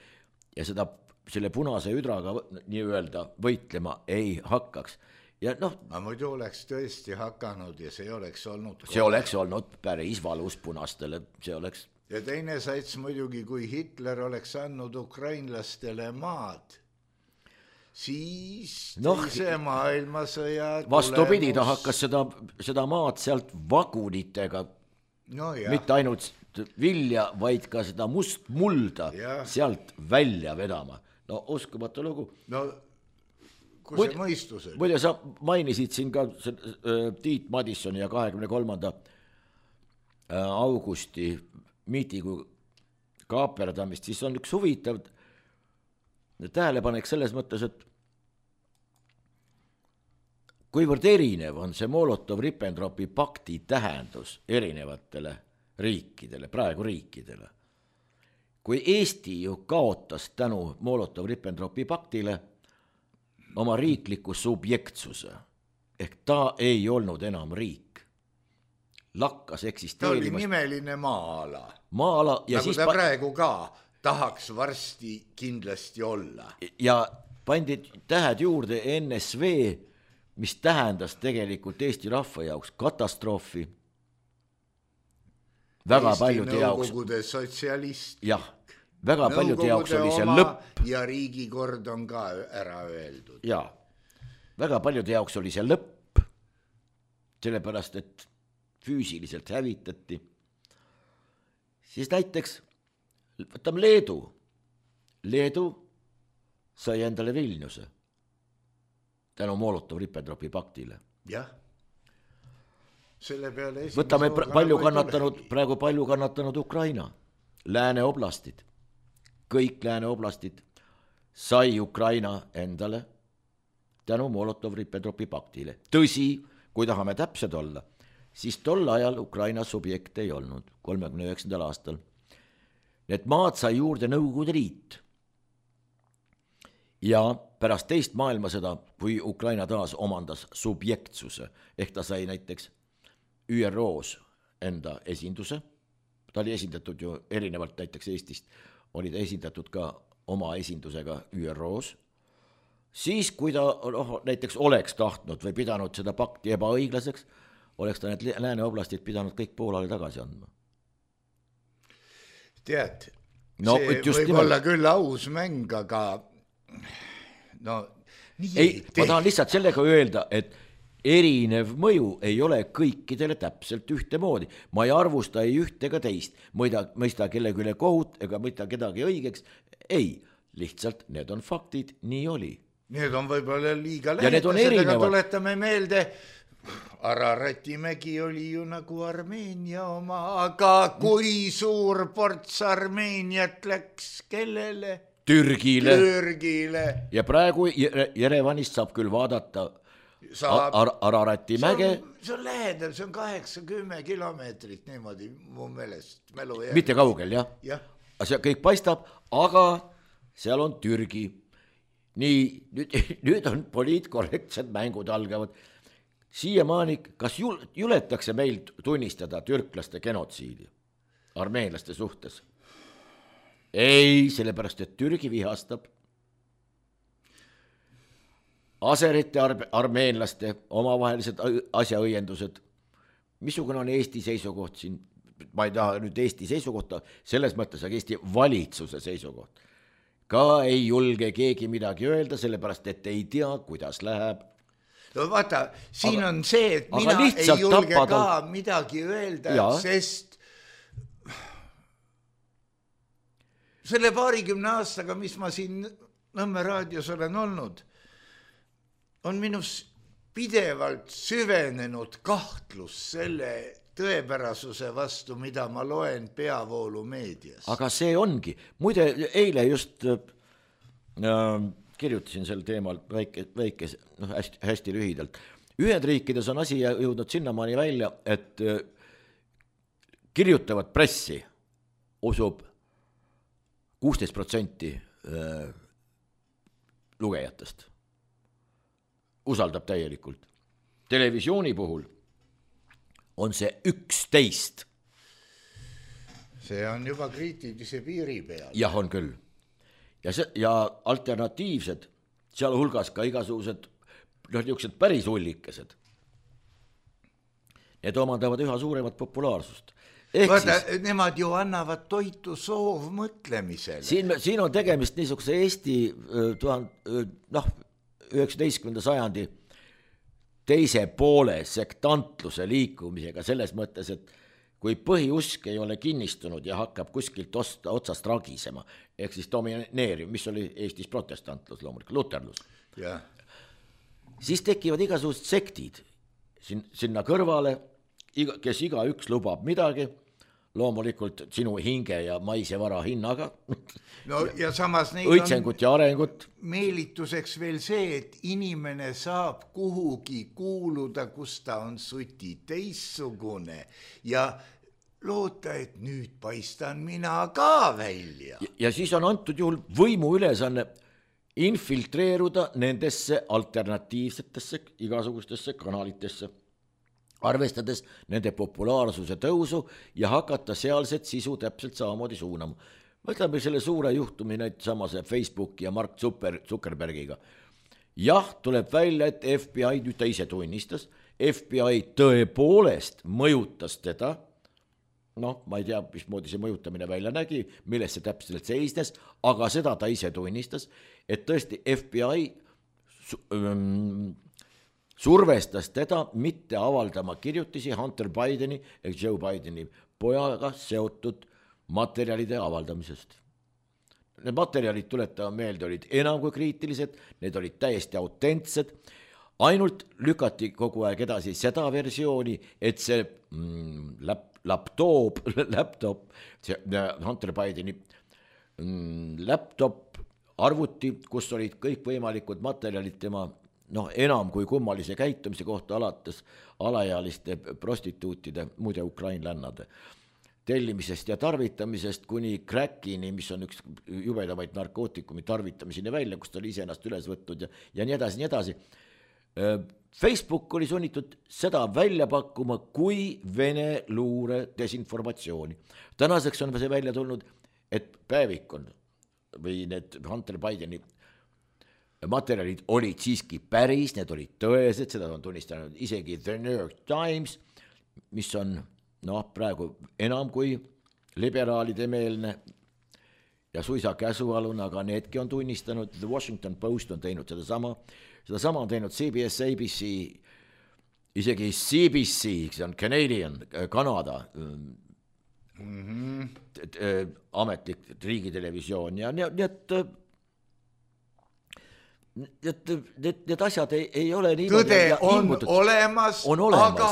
ja selle punase üdraga nii-öelda võitlema ei hakkaks. Ja aga muidu oleks tõesti hakanud ja see oleks olnud... See oleks olnud päris valus punastele, see oleks... Ja teine sats muidugi, kui Hitler oleks andnud ukrainlastele maad, siis teise maailmasõja vastupidi, ta hakkas seda maad sealt vagunitega, mitte ainult vilja, vaid ka seda mustmulda sealt välja vedama. No uskumatu lugu. No kui see mõistus oli. Muide, sa mainisid siin ka Tiit Madissoni ja 23. augusti miitigu kaaperdamist, siis on üks huvitav tähelepanek selles mõttes, et kuivõrd erinev on see Molotov-Ribbentropi pakti tähendus erinevatele riikidele, praegu riikidele. Kui Eesti ju kaotas tänu Molotov-Ribbentropi paktile oma riikliku subjektsuse, ehk ta ei olnud enam riik, lakkas eksisteerimast. Ta oli nimeline maa-ala. Maa-ala ja nagu ta praegu ka tahaks varsti kindlasti olla. Ja pandi tähed juurde NSV, mis tähendas tegelikult Eesti rahva jaoks katastroofi. Väga Eesti paljude jaoks. Nõukogude sotsialist. Jah, väga paljude jaoks oli see lõpp. Ja riigikord on ka ära öeldud. Ja, väga paljude jaoks oli see lõpp, sellepärast, et füüsiliselt hävitati. Siis näiteks, võtame Leedu. Leedu sai endale Vilniuse tänu Molotov-Ribbentropi paktile. Jah. Selle peale võtame praegu palju kannatanud Ukraina, Lääne oblastid. Kõik Lääne oblastid sai Ukraina endale tänu Molotov-Ribbentropi paktile. Tõsi, kui tahame täpsed olla, siis tol ajal Ukraina subjekt ei olnud 39. aastal. Need maad sai juurde Nõukogude Liit. Ja pärast teist maailmasõda, kui Ukraina taas omandas subjektsuse, ehk ta sai näiteks ÜROs enda esinduse, ta oli esindatud ju erinevalt näiteks Eestist, oli ta esindatud ka oma esindusega ÜROs, siis kui ta näiteks oleks tahtnud või pidanud seda pakti ebaõiglaseks, oleks ta need Lääne oblastid pidanud kõik Poolale tagasi andma. Tead, see võib olla küll aus mäng, aga no nii ei, ma tahan lihtsalt sellega öelda, et erinev mõju ei ole kõikidele täpselt ühte moodi. Ma ei arvusta ei üht ega teist, mõista kellegi üle kohut ega mõista kedagi õigeks. Ei, lihtsalt need on faktid, nii oli. Need on võib-olla liiga lähedased, aga tuletame meelde, Ararati mägi oli ju nagu Armeenia oma, aga kui suur ports Armeeniat läks kellele? Türgile. Ja praegu Jerevanist saab küll vaadata Ararati mäge. See on lähedal, see on 80 kilomeetrit niimoodi mu meelest. Mitte kaugel, jah. Ja. See kõik paistab, aga seal on Türgi. Nii, nüüd on poliitkorrektsed mängud algavad. Siiamaani, kas juletakse meil tunnistada türklaste genotsiidi armeenlaste suhtes? Ei, sellepärast, et Türgi vihastab aserite armeenlaste omavahelised asjaõiendused. Missugune on Eesti seisukoht siin? Ma ei taha nüüd Eesti seisukohta selles mõttes, aga Eesti valitsuse seisukoht. Ka ei julge keegi midagi öelda, sellepärast, et ei tea, kuidas läheb. No vaata, siin on see, et mina ei julge ka midagi öelda, sest selle 20 aastaga, mis ma siin Nõmme raadios olen olnud, on minus pidevalt süvenenud kahtlus selle tõepärasuse vastu, mida ma loen peavoolu meedias. Aga see ongi. Muide, eile just kirjutasin sel teemal väike hästi lühidalt. Ühendriikides on asi jõudnud sinnamaani välja, et kirjutavad pressi usub 16% lugejatest. Usaldab täielikult. Televisiooni puhul on see 11. See on juba kriitilise piiri peal. Jah, on küll. Ja alternatiivsed, seal hulgas ka igasugused niisugused päris ullikesed. Need omandavad üha suuremat populaarsust. Vaata, nemad ju annavad toitu soovmõtlemisele. Siin on tegemist niisuguse Eesti 19. sajandi teise poole sektantluse liikumisega selles mõttes, et kui põhiusk ei ole kinnistunud ja hakkab kuskilt otsast ragisema, ehk siis domineeriv, mis oli Eestis protestantlus loomulikult, luterlus, siis tekivad igasugused sektid sinna kõrvale, kes igaüks lubab midagi, loomulikult sinu hinge ja maise vara hinnaga. No ja samas neid õitsengut ja arengut. Meelituseks veel see, et inimene saab kuhugi kuuluda, kus ta on suti teissugune ja loota, et nüüd paistan mina ka välja. Ja siis on antud juhul võimu ülesanne infiltreeruda nendesse alternatiivsetesse igasugustesse kanalitesse, arvestades nende populaarsuse tõusu ja hakata sealset sisu täpselt samamoodi suunama. võtame selle suure juhtumi nüüd samase Facebooki ja Mark Zuckerbergiga. Jah, tuleb välja, et FBI, nüüd ta ise tunnistas, FBI tõepoolest mõjutas teda, noh, ma ei tea, mismoodi see mõjutamine välja nägi, milles see täpselt seisnes, aga seda ta ise tunnistas, et tõesti FBI survestas teda mitte avaldama kirjutisi Hunter Bideni ehk Joe Bideni pojaga seotud materjalide avaldamisest. Need materjalid, tuletame meelde, olid enam kui kriitilised, need olid täiesti autentsed, ainult lükati kogu aeg edasi seda versiooni, et see laptop, see Hunter Bideni laptop, arvuti, kus olid kõik võimalikud materjalid tema enam kui kummalise käitumise kohta alates alaealiste prostituutide, muide ukrainlännade tellimisest ja tarvitamisest kuni crackini, mis on üks jubedamaid narkootikumi tarvitamiseni välja, kus ta oli ise ennast üles võtnud ja nii edasi, nii edasi. Facebook oli sunnitud seda välja pakkuma kui Vene luure desinformatsiooni. Tänaseks on see välja tulnud, et päevik on või need Hunter Bideni materjalid olid siiski päris, need olid tõesed, seda on tunnistanud isegi The New York Times, mis on praegu enam kui liberaalide meelne ja suisa käsualune, aga needki on tunnistanud, The Washington Post on teinud sedasama on teinud CBS, ABC, isegi CBC, see on Canadian, Kanada ametlik riigitelevisioon ja nii, et need asjad ei ole nii tõde on olemas, aga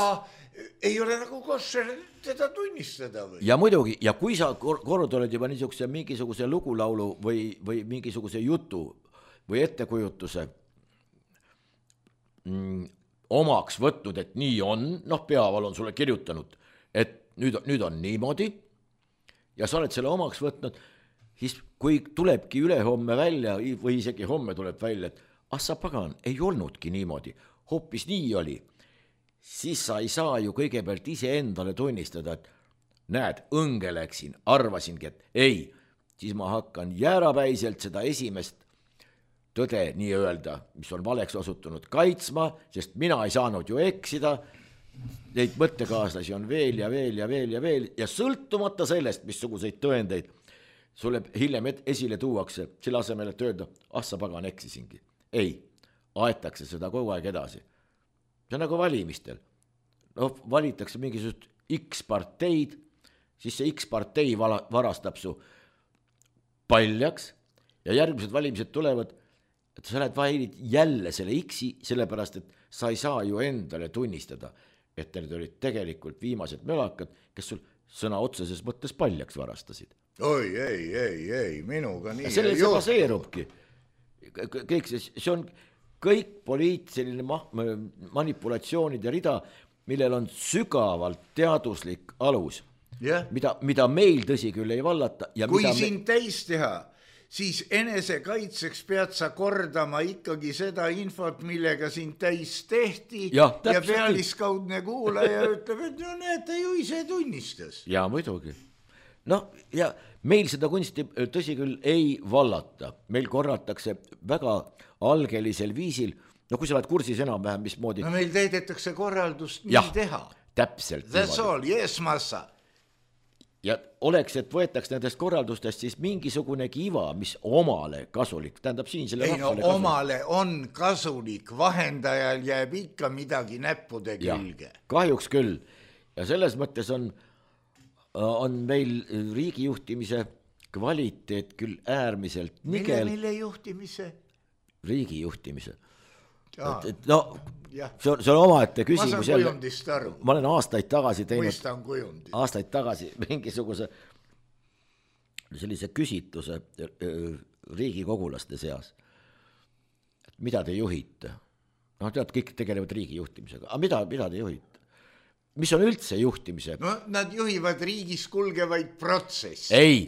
ei ole nagu koššer teda tunnistada või? Ja muidugi, ja kui sa kord oled juba niisuguse mingisuguse lugulaulu või mingisuguse jutu või ettekujutuse omaks võtnud, et nii on, Peaval on sulle kirjutanud, et nüüd on niimoodi ja sa oled selle omaks võtnud, siis kui tulebki ülehomme välja või isegi homme tuleb välja, et sa pagan, ei olnudki niimoodi, hoopis nii oli, siis sa ei saa ju kõigepealt ise endale tunnistada, et näed, õnge läksin, arvasingi, et ei, siis ma hakkan jäärapäiselt seda esimest tõde nii öelda, mis on valeks osutunud kaitsma, sest mina ei saanud ju eksida, neid mõttekaaslasi on veel ja veel ja veel ja veel ja sõltumata sellest, missuguseid tõendeid sulle hiljem esile tuuakse, selle asemel, et öelda, sa pagan eksisingi. Ei, aetakse seda kogu aeg edasi. See on nagu valimistel. Valitakse mingisugust X-parteid, siis see X-partei varastab su paljaks ja järgmised valimised tulevad, et sa lähed valid jälle selle X-i, sellepärast, et sa ei saa ju endale tunnistada, et need olid tegelikult viimased mölakad, kes sul sõna otseses mõttes paljaks varastasid. Oi, ei, minuga nii. Selle see baseerubki. Kõik see on kõik poliitiline manipulatsioonide rida, millel on sügavalt teaduslik alus, mida meil tõsi küll ei vallata. Ja kui sind täis teha, siis enesekaitseks pead sa kordama ikkagi seda infot, millega sind täis tehti ja pealiskaudne kuulaja ütleb, et näete ju ise tunnistas. Ja muidugi. Ja meil seda kunsti tõsi küll ei vallata, meil korratakse väga algelisel viisil, kui sa oled kursis enam-vähem, mismoodi. Meil täidetakse korraldust nii teha. Täpselt. That's all, yes, massa. Ja oleks, et võetaks nendest korraldustest siis mingisugunegi iva, mis omale kasulik, tähendab siin selle rahvale kasulik. Omale on kasulik, vahendajal jääb ikka midagi näppude külge. Kahjuks küll. Ja selles mõttes on meil riigijuhtimise kvaliteet küll äärmiselt nigel. Mille juhtimise? Riigijuhtimise. See on omaette küsimus. Ma saan kujundist aru. Ma olen aastaid tagasi teinud. Mõistan kujundist. Aastaid tagasi mingisuguse sellise küsitluse riigikogulaste seas. Et mida te juhite? Tead, kõik tegelevad riigijuhtimisega. Aga mida te juhite? Mis on üldse juhtimise? Nad juhivad riigis kulgevaid protsessi. Ei,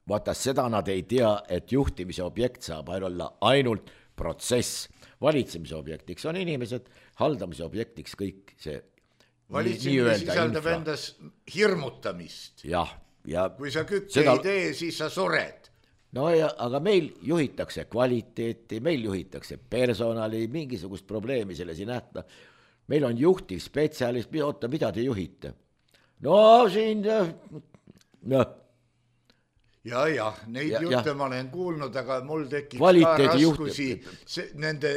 vaata seda nad ei tea, et juhtimise objekt saab olla ainult protsess. Valitsemise objektiks on inimesed, haldamise objektiks kõik see. Valitsemine sisaldab endas hirmutamist. Jah, ja kui sa kükke ei tee, siis sa sured. No ja, aga meil juhitakse kvaliteeti, meil juhitakse personali, mingisugust probleemi selles ei nähta. Meil on juhtiv spetsialist, oota, mida te juhite? No siin, noh. Ja, neid jutte ma olen kuulnud, aga mul tekib ka raskusi nende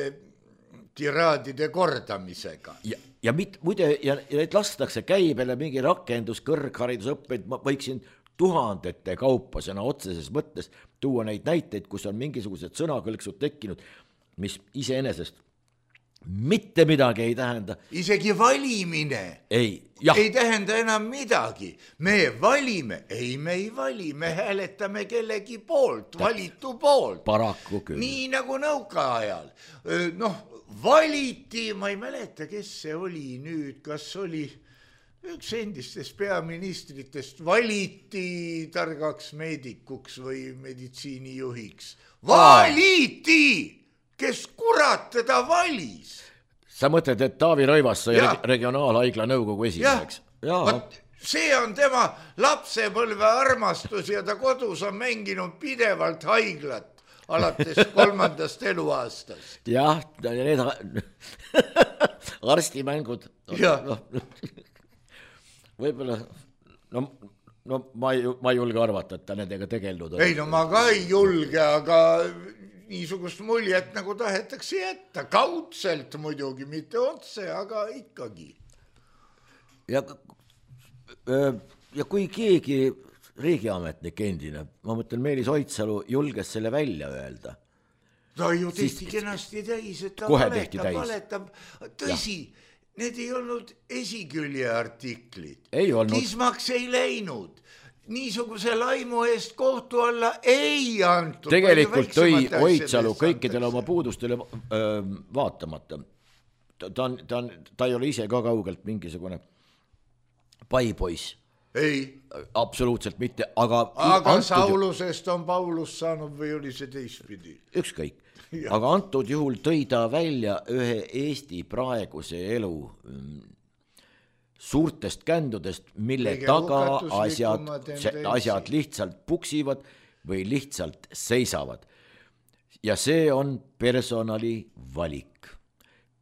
tiraadide kordamisega. Ja muide, ja need lastakse käibele mingi rakendus, kõrgharidusõppeid, ma võiksin tuhandete kaupa sõna otseses mõttes tuua neid näiteid, kus on mingisugused sõnakõlksud tekkinud, mis iseenesest mitte midagi ei tähenda. Isegi valimine ei tähenda enam midagi. Me valime, me ei vali, me hääletame kellegi poolt, valitu poolt. Paraku küll. Nii nagu nõukaajal. Valiti, ma ei mäleta, kes see oli nüüd, kas oli üks endistest peaministritest, valiti targaks meedikuks või meditsiinijuhiks. Valiti! Kes kurat teda valis? Sa mõtled, et Taavi Rõivas sai regionaalhaigla nõukogu esimeheks? See on tema lapsepõlve armastus ja ta kodus on mänginud pidevalt haiglat alates 3. eluaastast. Jah, need arstimängud. Võib-olla, ma ei julge arvata, et ta nendega tegelnud on. Ei, ma ka ei julge, aga niisugust muljet nagu tahetakse jätta. Kaudselt muidugi, mitte otse, aga ikkagi. Ja kui keegi riigiametnik endine, ma mõtlen Meelis Oidsalu, julges selle välja öelda. Ta ju tehti kenasti täis, et ta valetab. Tõsi, need ei olnud esikülje artiklid. Kismaks ei läinud. Niisuguse laimu eest kohtu alla ei antud. Tegelikult tõi Oidsalu kõikidele oma puudustele vaatamata. Ta ei ole ise ka kaugelt mingisugune paipoiss. Ei. Absoluutselt mitte, aga Saulusest on Paulus saanud või oli see teistpidi? Ükskõik. Aga antud juhul tõi ta välja ühe Eesti praeguse elu suurtest kändudest, mille taga asjad lihtsalt puksivad või lihtsalt seisavad. Ja see on personali valik.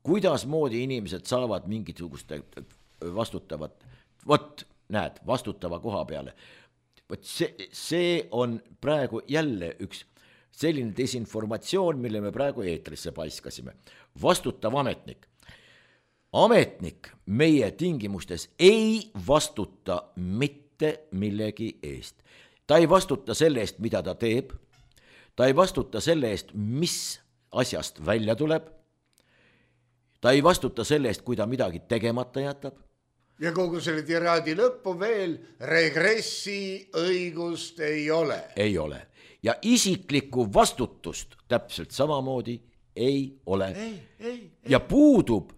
Kuidas moodi inimesed saavad mingisugust vastutavat, näed, vastutava koha peale. See on praegu jälle üks selline desinformatsioon, mille me praegu eetrisse paiskasime. Vastutav ametnik. Ametnik meie tingimustes ei vastuta mitte millegi eest. Ta ei vastuta selle eest, mida ta teeb. Ta ei vastuta selle eest, mis asjast välja tuleb. Ta ei vastuta selle eest, kui ta midagi tegemata jätab. Ja kogu selle tiraadi lõppu veel regressi õigust ei ole. Ei ole. Ja isiklikku vastutust täpselt samamoodi ei ole. Ja puudub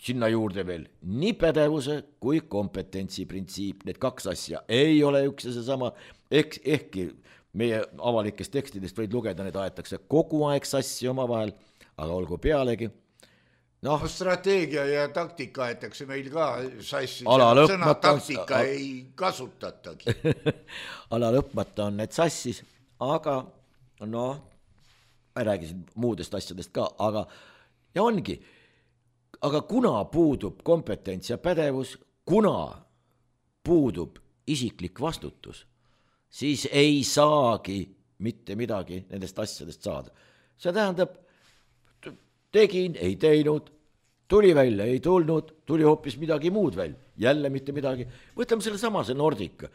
sinna juurde veel nii pädevuse kui kompetentsi printsiip. Need kaks asja ei ole üks ja seesama. Ehkki meie avalikest tekstidest võid lugeda, need aetakse kogu aeg sassi oma vahel, aga olgu pealegi. Strateegia ja taktika aetakse meil ka sassi. Sõna taktika ei kasutatagi. Ala lõpmata on need sassis, aga ma räägisin muudest asjadest ka, aga ja ongi. Aga kuna puudub kompetents ja pädevus, kuna puudub isiklik vastutus, siis ei saagi mitte midagi nendest asjadest saada. See tähendab, tegin, ei teinud, tuli välja, ei tulnud, tuli hoopis midagi muud välja, jälle mitte midagi. Võtame selle samase Nordica.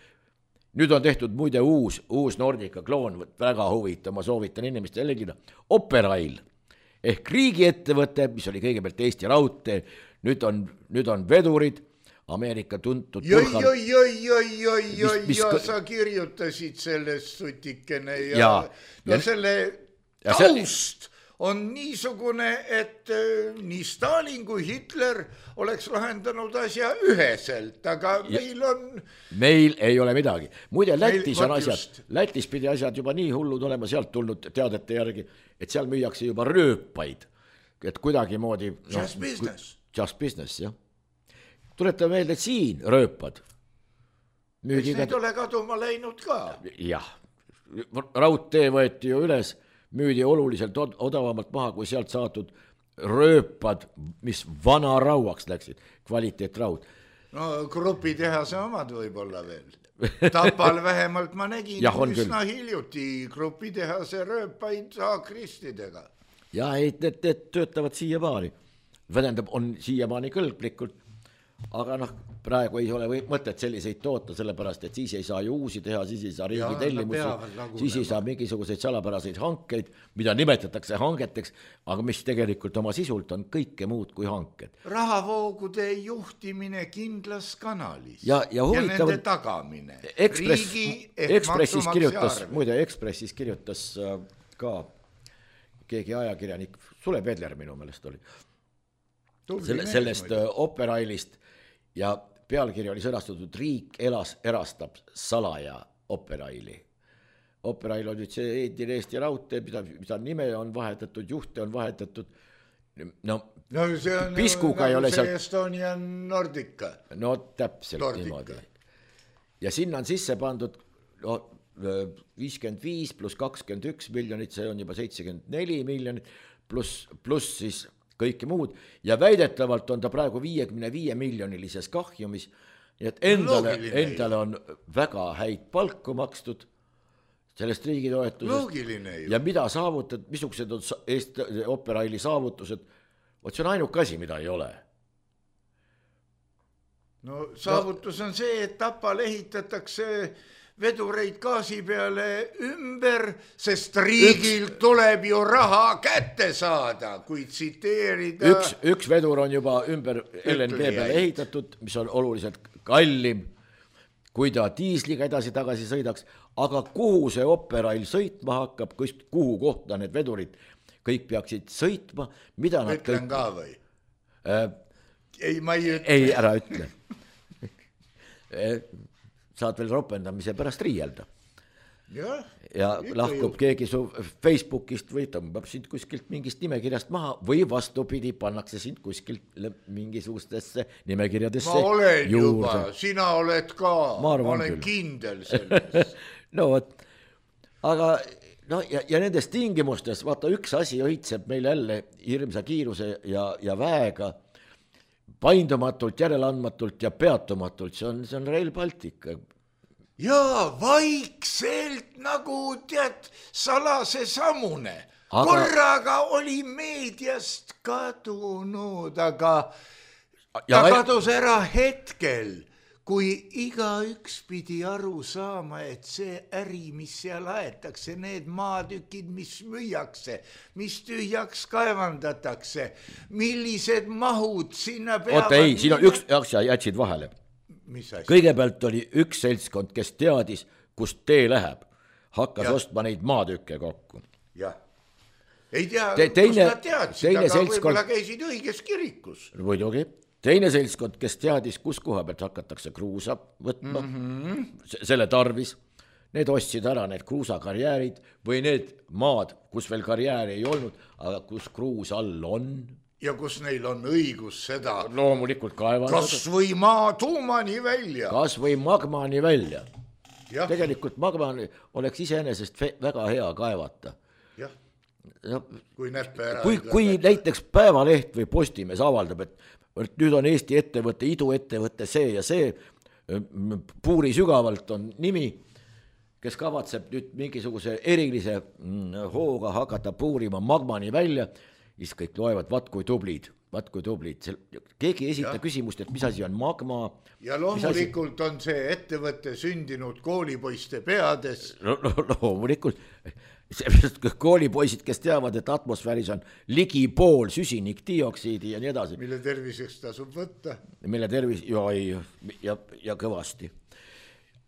Nüüd on tehtud muide uus Nordica kloon, väga huvitav, ma soovitan inimestele jälgida. Operail ehk riigiettevõte, mis oli kõigepealt Eesti Raudtee, nüüd on vedurid, Ameerika tuntud sa kirjutasid sellest sutikene ja selle taust on niisugune, et nii Stalin kui Hitler oleks lahendanud asja üheselt, aga meil ei ole midagi. Muide, Lätis pidi asjad juba nii hullud olema sealt tulnud teadete järgi, et seal müüakse juba rööpaid, et kuidagi moodi just business, jah. Tuletame meelde, et siin rööpad, Eks neid ole kaduma läinud ka. Jah, raudtee võeti ju üles, müüdi oluliselt odavamalt maha, kui sealt saadud rööpad, mis vana rauaks läksid, kvaliteetraud. No grupitehase omad võib-olla veel. Tapal vähemalt ma nägin üsna hiljuti grupitehase rööpaid saakristidega. Ja need töötavad siiamaani. Tähendab, on siiamaani kõlblikult, aga praegu ei ole mõtet selliseid toota, sellepärast, et siis ei saa ju uusi teha, siis ei saa riigi tellimusi, siis ei saa mingisuguseid salapäraseid hankeid, mida nimetatakse hangeteks, aga mis tegelikult oma sisult on kõike muud kui hanked. Rahavoogude juhtimine kindlas kanalis ja nende tagamine. Ekspressis kirjutas, muide Ekspressis kirjutas ka keegi ajakirjanik, Sule Pedler minu meelest oli, sellest Operailist ja pealkiri oli sõnastatud Riik erastab salaja Operaili. Operail on nüüd see endine Eesti raudtee, mida nime on vahetatud, juhte on vahetatud. No see on piskuga ei ole see Estonian Nordica. No täpselt niimoodi. Ja sinna on sisse pandud 55 plus 21 miljonit, see on juba 74 miljonit, pluss siis kõike muud ja väidetavalt on ta praegu 55 miljonilises kahjumis, nii et endale on väga häid palku makstud sellest riigitoetusest ja mida saavutad, missugused on Operaili saavutused, see on ainuke asi, mida ei ole. No saavutus on see, et Tapal ehitatakse vedureid gaasi peale ümber, sest riigil tuleb ju raha kätte saada, kui tsiteerida. Üks vedur on juba ümber LNG peale ehitatud, mis on oluliselt kallim, kui ta diisliga edasi-tagasi sõidaks, aga kuhu see Operail sõitma hakkab, kuhu kohta need vedurid kõik peaksid sõitma, mida nad ütlen kõik... ka või? Ei, ma ei ütle. Ei, ära ütle. Saad veel ropendamise pärast riielda. Ja lahkub keegi su Facebookist või tõmbab sind kuskilt mingist nimekirjast maha või vastupidi, pannakse sind kuskilt mingisugustesse nimekirjadesse juurde. Ma olen juba, sina oled ka, ma olen kindel selles. No võt, aga ja nendes tingimustes, vaata üks asi õitseb meil jälle hirmsa kiiruse ja väega, paindumatult, järeleandmatult ja peatumatult, see on Rail Baltic. Jaa, vaikselt nagu tead salase sammune. Korraga oli meediast kadunud, aga ta kadus ära hetkel, kui igaüks pidi aru saama, et see äri, mis seal aetakse, need maatükid, mis müüakse, mis tühjaks kaevandatakse, millised mahud sinna peavad... Oota ei, siin on üks asja jätsid vahele. Kõigepealt oli üks seltskond, kes teadis, kust tee läheb, hakkas ostma neid maatükke kokku. Jah. Ei tea, kus nad teadsid, aga võib-olla käisid õiges kirikus. Muidugi. Teine seltskond, kes teadis, kus koha pealt hakatakse kruusa võtma, selle tarvis, need ostsid ära need kruusakarjäärid või need maad, kus veel karjääri ei olnud, aga kus kruus all on. Ja kus neil on õigus seda loomulikult kaevandada. Kas või maa tuumani välja. Kas või magmani välja. Ja. Tegelikult magmani oleks iseenesest väga hea kaevata. Jah, kui näppe ära. Kui näiteks Päevaleht või Postimees avaldab, et nüüd on Eesti ettevõtte, iduettevõtte see ja see, Puuri sügavalt on nimi, kes kavatseb nüüd mingisuguse erilise hooga hakata puurima magmani välja, siis kõik loevad, vaat kui tublid. Keegi ei esita küsimust, et mis asi on magma. Ja loomulikult on see ettevõtte sündinud koolipoiste peades. Loomulikult. Koolipoisid, kes teavad, et atmosfääris on ligi pool süsinikdioksiidi ja nii edasi. Mille terviseks tasub võtta. Mille tervis, ja kõvasti.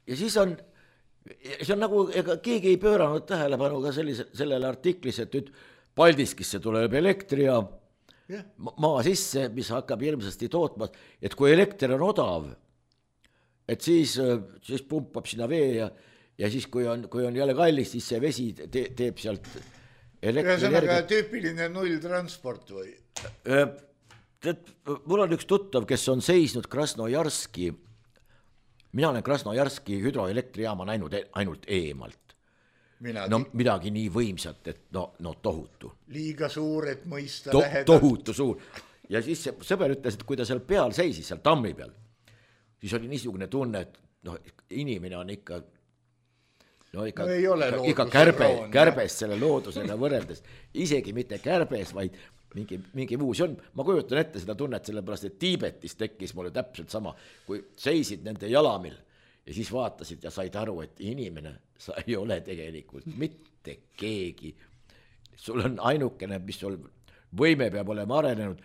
Ja siis on, see on nagu, ega keegi ei pööranud tähelepanu ka sellele artiklis, et nüüd Paldiskisse tuleb elektrijaam maa sisse, mis hakkab hirmsasti tootma, et kui elekter on odav, et siis pumpab sinna vee ja siis kui on jälle kallis, siis see vesi teeb sealt elektrienergia. Tüüpiline nulltransport või? Mul on üks tuttav, kes on seisnud Krasnojarski mina olen Krasnojarski hüdroelektrijaama näinud ainult eemalt. No midagi nii võimsat, et no tohutu. Liiga suur, et mõista lähedalt. Tohutu suur. Ja siis see sõber ütles, et kui ta seal peal seisis, seal tammi peal, siis oli niisugune tunne, et inimene on ikka kärbes selle loodusega võrreldes. Isegi mitte kärbes, vaid mingi muu. See on, ma kujutan ette seda tunnet, sellepärast, et Tiibetis tekkis mulle täpselt sama, kui seisid nende jalamil ja siis vaatasid ja said aru, et inimene, sa ei ole tegelikult mitte keegi. Sul on ainukene, mis sul võime peab olema arenenud,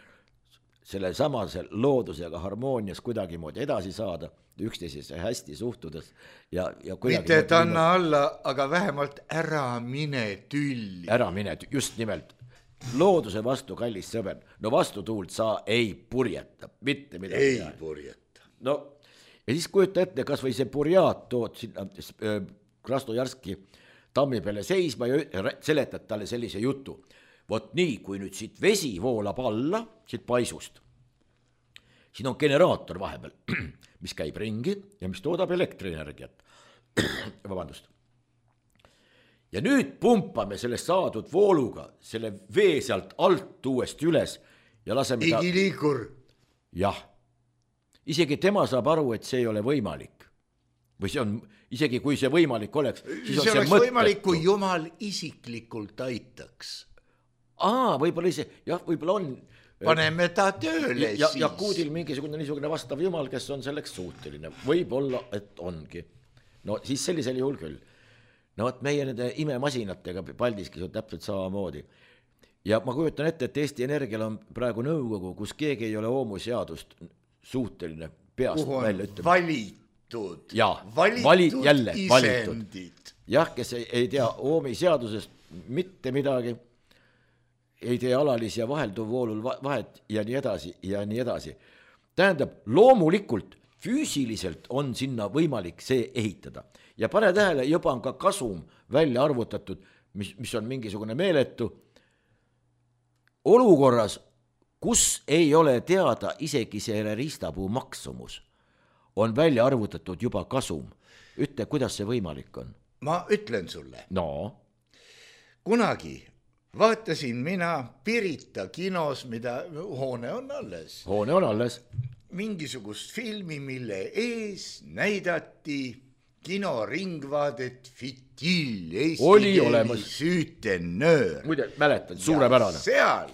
selle samase loodusega harmoonias kuidagi moodi edasi saada, üksteisesse hästi suhtudes. Ja mitte et anna alla, aga vähemalt ära mine tülli. Ära mine, just nimelt. Looduse vastu, kallis sõber, no vastutuult sa ei purjeta, mitte midagi. Ei purjeta. No, ja siis kujuta ette, kas või see purjaat tood sinna Krasnojarski tammi peale seisma ja seletad talle sellise jutu. Vot nii, kui nüüd siit vesi voolab alla, siit paisust, siin on generaator vahepeal, mis käib ringi ja mis toodab elektrienergiat. Vabandust. Ja nüüd pumpame sellest saadud vooluga selle vee sealt alt uuesti üles ja laseme ta... Igiliikur. Jah. Isegi tema saab aru, et see ei ole võimalik. Või see on, isegi kui see võimalik oleks, siis on see oleks võimalik, kui Jumal isiklikult aitaks. Võib-olla ise, jah, võib-olla on. Paneme ta tööle siis. Ja kuudil mingisugune niisugune vastav Jumal, kes on selleks suuteline. Võib-olla, et ongi. No siis sellisel juhul küll. No et meie nende imemasinatega Paldiskis on täpselt samamoodi. Ja ma kujutan ette, et Eesti Energial on praegu nõukogu, kus keegi ei ole oomuseadust suuteline peast välja ütlema. Valitud. Valitud isendid. Jah, kes ei tea oomiseadusest mitte midagi, ei tee alalisi ja vahelduv voolul vahet ja nii edasi ja nii edasi. Tähendab, loomulikult füüsiliselt on sinna võimalik see ehitada. Ja pane tähele, juba on ka kasum välja arvutatud, mis on mingisugune meeletu. Olukorras, kus ei ole teada isegi selle riistapuu maksumus, on välja arvutatud juba kasum. Ütle, kuidas see võimalik on? Ma ütlen sulle. No. Kunagi vaatasin mina Pirita kinos, mida hoone on alles. Hoone on alles. Mingisugust filmi, mille ees näidati kinoringvaadet Fitil, Eesti keeli süütenöör. Muide, mäletan, suurepärane. Seal,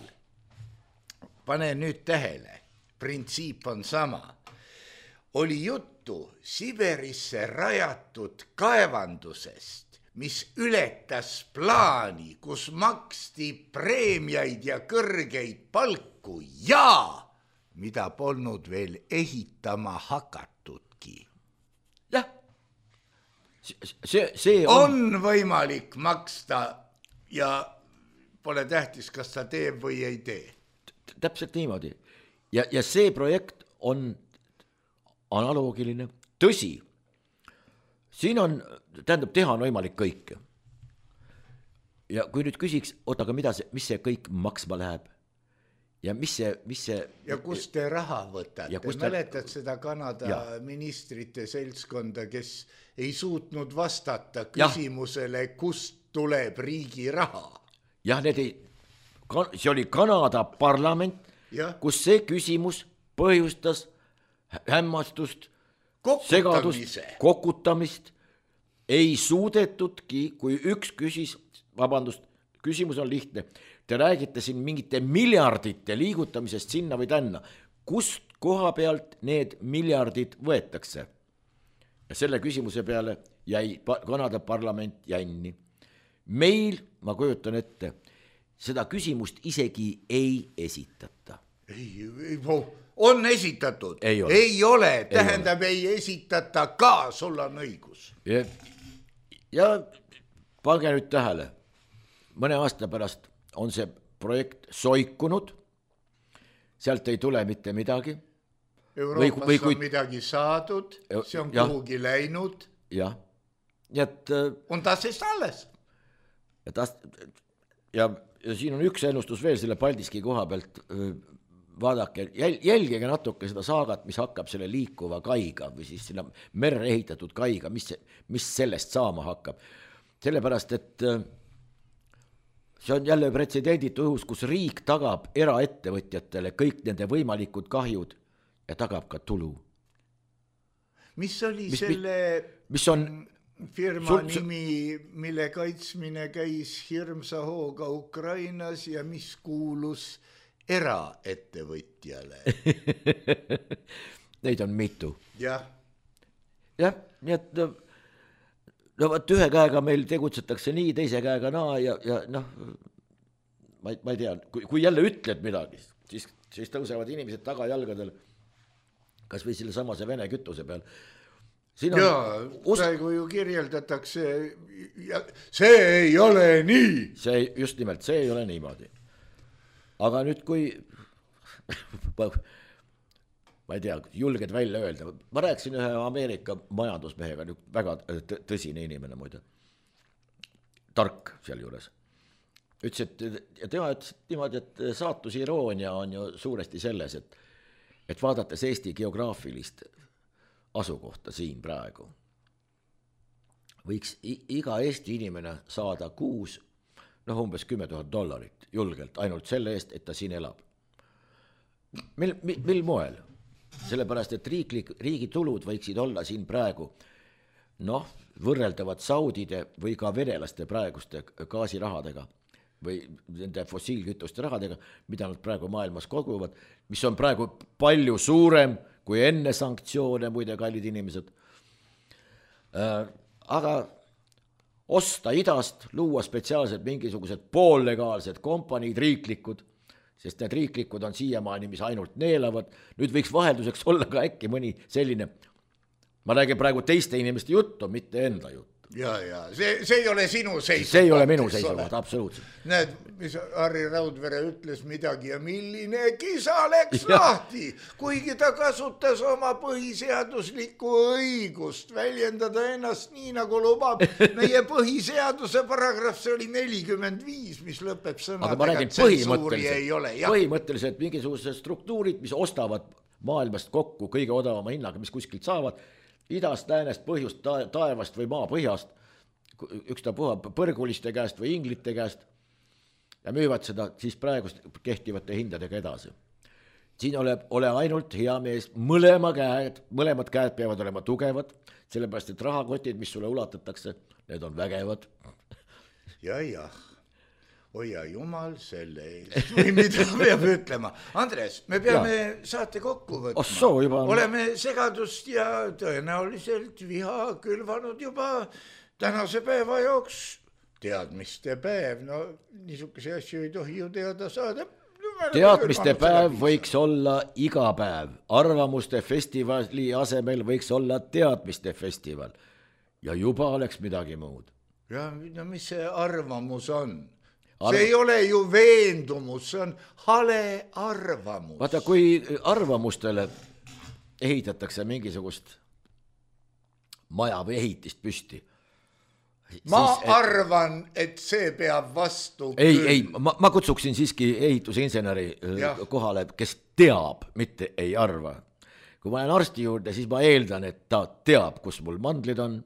pane nüüd tähele, printsiip on sama. Oli juttu Siberisse rajatud kaevandusest, mis ületas plaani, kus maksti preemiaid ja kõrgeid palku ja mida polnud veel ehitama hakatudki. Jah, see on võimalik maksta ja pole tähtis, kas ta teeb või ei tee. Täpselt niimoodi. Ja see projekt on analoogiline. Tõsi, siin on, tähendab, teha on võimalik kõike. Ja kui nüüd küsiks, aga mis see kõik maksma läheb? Ja mis see... Ja kust te raha võtate? Mäletad seda Kanada ministrite seltskonda, kes ei suutnud vastata küsimusele, kust tuleb riigi raha? Jah, see oli Kanada parlament, kus see küsimus põhjustas hämmastust, segadust, kokutamist. Ei suudetudki, kui üks küsimus on lihtne. Te räägite siin mingite miljardite liigutamisest sinna või tänna. Kust koha pealt need miljardid võetakse? Ja selle küsimuse peale jäi Kanada parlament jänni. Meil, ma kujutan ette, seda küsimust isegi ei esitata. On esitatud. Ei ole. Tähendab, ei esitata ka, sul on õigus. Ja pange nüüd tähele. Mõne aasta pärast on see projekt soikunud, sealt ei tule mitte midagi. Euroopas on midagi saadud, see on kuhugi läinud. Jah. On ta sest alles. Ja siin on üks ennustus veel selle Paldiski koha pealt. vaadake, jälgige natuke seda saagat, mis hakkab selle liikuva kaiga või siis sinna merre ehitatud kaiga, mis sellest saama hakkab. Sellepärast, et see on jälle pretsedenditu õhus, kus riik tagab eraettevõtjatele kõik nende võimalikud kahjud ja tagab ka tulu. Mis oli selle firma nimi, mille kaitsmine käis hirmsa hooga Ukrainas ja mis kuulus eraettevõtjale? Neid on mitu. Jah, nii et no võt ühe käega meil tegutsetakse nii, teise käega naa ja noh, ma ei tea, kui jälle ütled midagi, siis tõusevad inimesed tagajalgadel, kas või selle samase Vene kütuse peal. Praegu ju kirjeldatakse, see ei ole nii. Just nimelt, see ei ole niimoodi. Aga nüüd, kui ma ei tea, julged välja öelda, ma rääkisin ühe Ameerika majandusmehega, väga tõsine inimene muide, tark seal juures. Ütles, et tema ütles niimoodi, et saatusiroonia on ju suuresti selles, et vaadates Eesti geograafilist asukohta siin praegu, võiks iga Eesti inimene saada kuus umbes $10,000 julgelt, ainult selle eest, et ta siin elab. Mil moel? Sellepärast, et riigi tulud võiksid olla siin praegu võrreldavad saudide või ka venelaste praeguste gaasirahadega või nende fossiilkütuste rahadega, mida nad praegu maailmas koguvad, mis on praegu palju suurem kui enne sanktsioone, muide kallid inimesed. Aga osta idast, luua spetsiaalselt mingisugused poollegaalsed kompaniid, riiklikud, sest need riiklikud on siiamaani, mis ainult neelavad. Nüüd võiks vahelduseks olla ka äkki mõni selline, ma räägin praegu teiste inimeste juttu, mitte enda juttu. Ja, see ei ole sinu seisukoht. See ei ole minu seisukoht, absoluutselt. Näed, mis Harri Raudvere ütles midagi ja milline kisa läks lahti, kuigi ta kasutas oma põhiseaduslikku õigust väljendada ennast nii, nagu lubab meie põhiseaduse paragrahv, see oli 45, mis lõpeb sõnadega, tsensuuri ei ole. Põhimõtteliselt mingisugused struktuurid, mis ostavad maailmast kokku kõige odavama hinnaga, mis kuskilt saavad, idast, läänest, põhjust, taevast või maapõhjast, ükstapuha põrguliste käest või inglite käest ja müüvad seda siis praegust kehtivate hindadega edasi. Siin ole ainult hea mees, mõlemad käed peavad olema tugevad, sellepärast et rahakotid, mis sulle ulatatakse, need on vägevad. Ja. Oja jumal selle eest. Või mida peab ütlema. Andres, me peame saate kokku võtma. Oleme segadust ja tõenäoliselt viha külvanud juba tänase päeva jooks. Teadmiste päev, niisuguse asju ei tohi ju teada saada. Teadmiste päev võiks olla iga päev. Arvamuste festivali asemel võiks olla teadmiste festival. Ja juba oleks midagi muud. Ja mis see arvamus on? See ei ole ju veendumus, see on hale arvamus. Vaata, kui arvamustele ehitatakse mingisugust maja või ehitist püsti. Arvan, et see peab vastu. Ei, ma kutsuksin siiski ehitusinseneri kohale, kes teab, mitte ei arva. Kui ma olen arsti juurde, siis ma eeldan, et ta teab, kus mul mandlid on,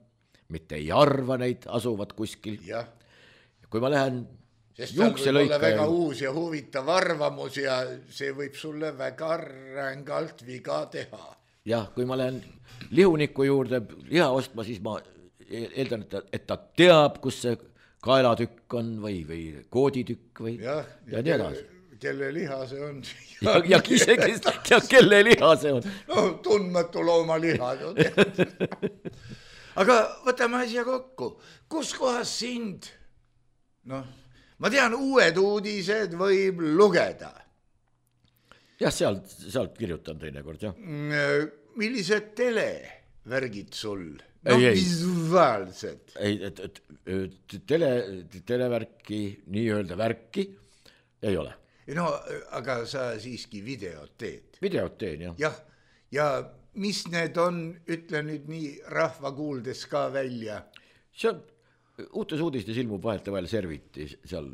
mitte ei arva neid, asuvad kuskil. Kui ma lähen sest tal võib olla väga uus ja huvitav arvamus ja see võib sulle väga rängalt viga teha. Jah, kui ma lähen lihuniku juurde liha ostma, siis ma eeldan, et ta teab, kus see kaelatükk on või kooditükk või ja nii edasi. Kelle liha see on? Ja kelle liha see on? Tundmatu looma liha. Aga võtame asja kokku. Kus kohas sind? Ma tean, uued uudised võib lugeda. Jah, sealt kirjutan teinekord, jah. Millised televärgid sul? Visuaalsed. Televärki, nii-öelda värki ei ole. Aga sa siiski videot teed. Videot teen, jah. Ja mis need on, ütle nüüd nii rahva kuuldes ka välja? See on uutes uudistes ilmub vahetevahel serviti, seal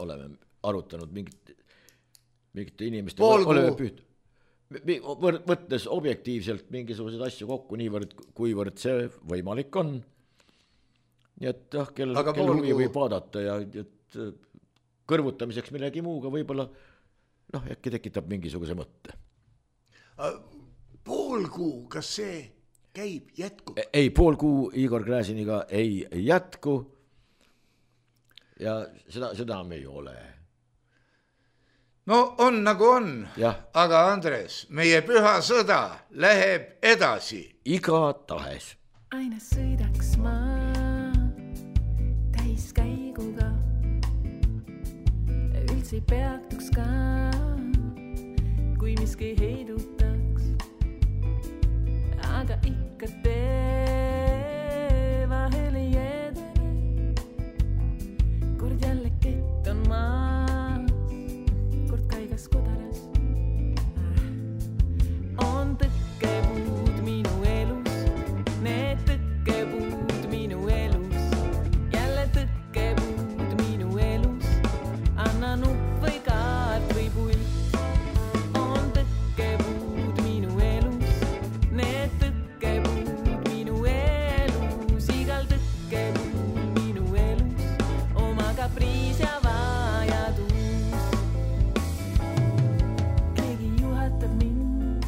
oleme arutanud mingite inimeste oleme püüd. Võttes objektiivselt mingisuguseid asju kokku niivõrd, kuivõrd see võimalik on. Nii et kel huvi võib vaadata ja et kõrvutamiseks millegi muuga võib-olla äkki tekitab mingisuguse mõtte. Pool kuu, kas see käib, jätkub? Ei, pool kuu Igor Gräziniga ei jätku ja seda me ei ole. No on nagu on, aga Andres, meie püha sõda läheb edasi. Iga tahes. Aina sõidaks ma täiskäiguga, üldse ei peatuks ka, kui miski heidutaks, aga ikka tee vahel ei edene, kord jälle kett on maas, kord kaigas kodaras. On tõkkepuud minu elus, need tõkkepuud minu elus, jälle tõkkepuud minu elus, anna nupp või kaart või pult. On tõkkepuud minu elus, need tõkkepuud minu elus, igal tõkkepuud minu elus, oma kapriis ja vajadus. Keegi juhatab mind,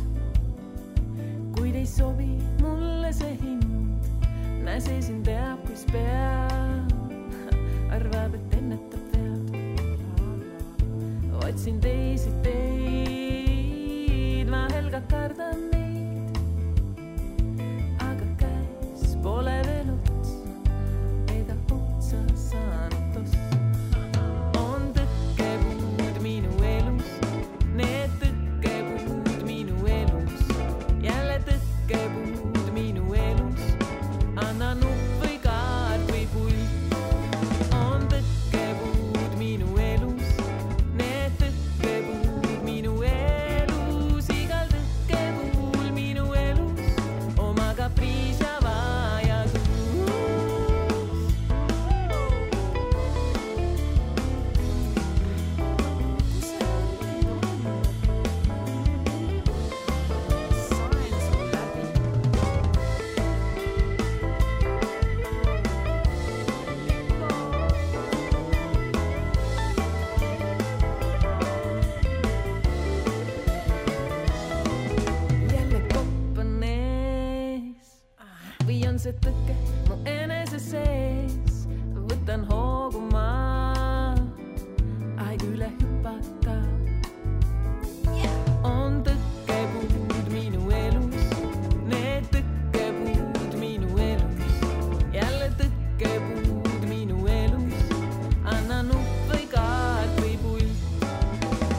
kuid ei sobi mulle see hind. Näse siin teab, kus peab, arvab, et ennetab vead. Otsin teisi teid, vahel ka kardan neid, aga käes pole veel ots, ega otsa saanud toss. On tõkkepuud minu elus, need tõkkepuud minu elus, jälle tõkkepuud minu elus, anna nupp või kaart või pult. On tõkkepuud minu elus, need tõkkepuud minu elus, igal tõkkepuul minu elus, oma kapriis ja vajadus. Sain sul läbi. Jälle kopp on ees või on see tõkke mu enese sees, võtan hoogu maa, aeg üle hüpata. On tõkkepuud minu elus, need tõkkepuud minu elus, jälle tõkkepuud minu elus, anna nupp või kaart või pult.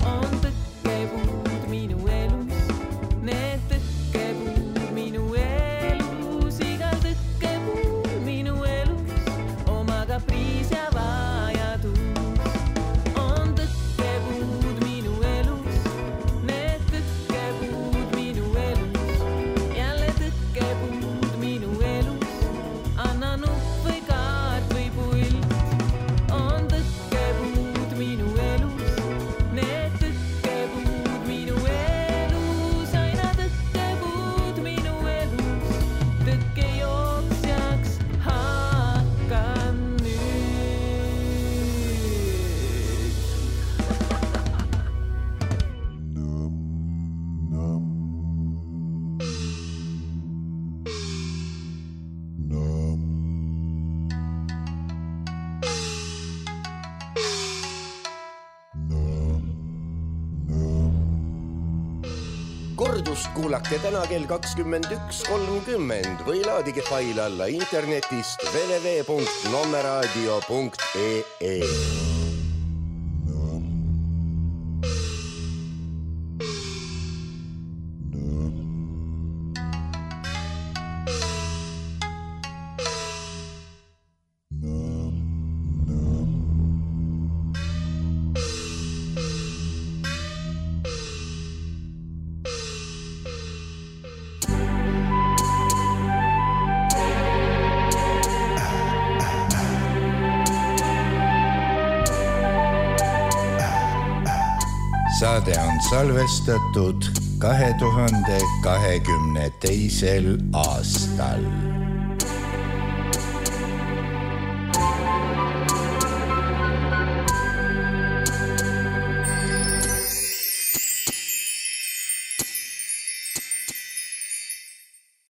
On tõkkepuud minu elus, need tõkkepuud minu elus, igal tõkkepuud minu elus, oma kapriis ja vajadus. On tõkkepuud minu elus, need tõkkepuud minu elus, jälle tõkkepuud minu elus, anna nupp või kaart või pult. On tõkkepuud minu elus, need tõkkepuud minu elus, aina tõkkepuud minu elus, tõkkejooksjaks hakkan nüüd. Kordust kuulake täna kell 21.30 või laadige fail alla internetist www.nommeradio.ee. saade on salvestatud 2022. aastal.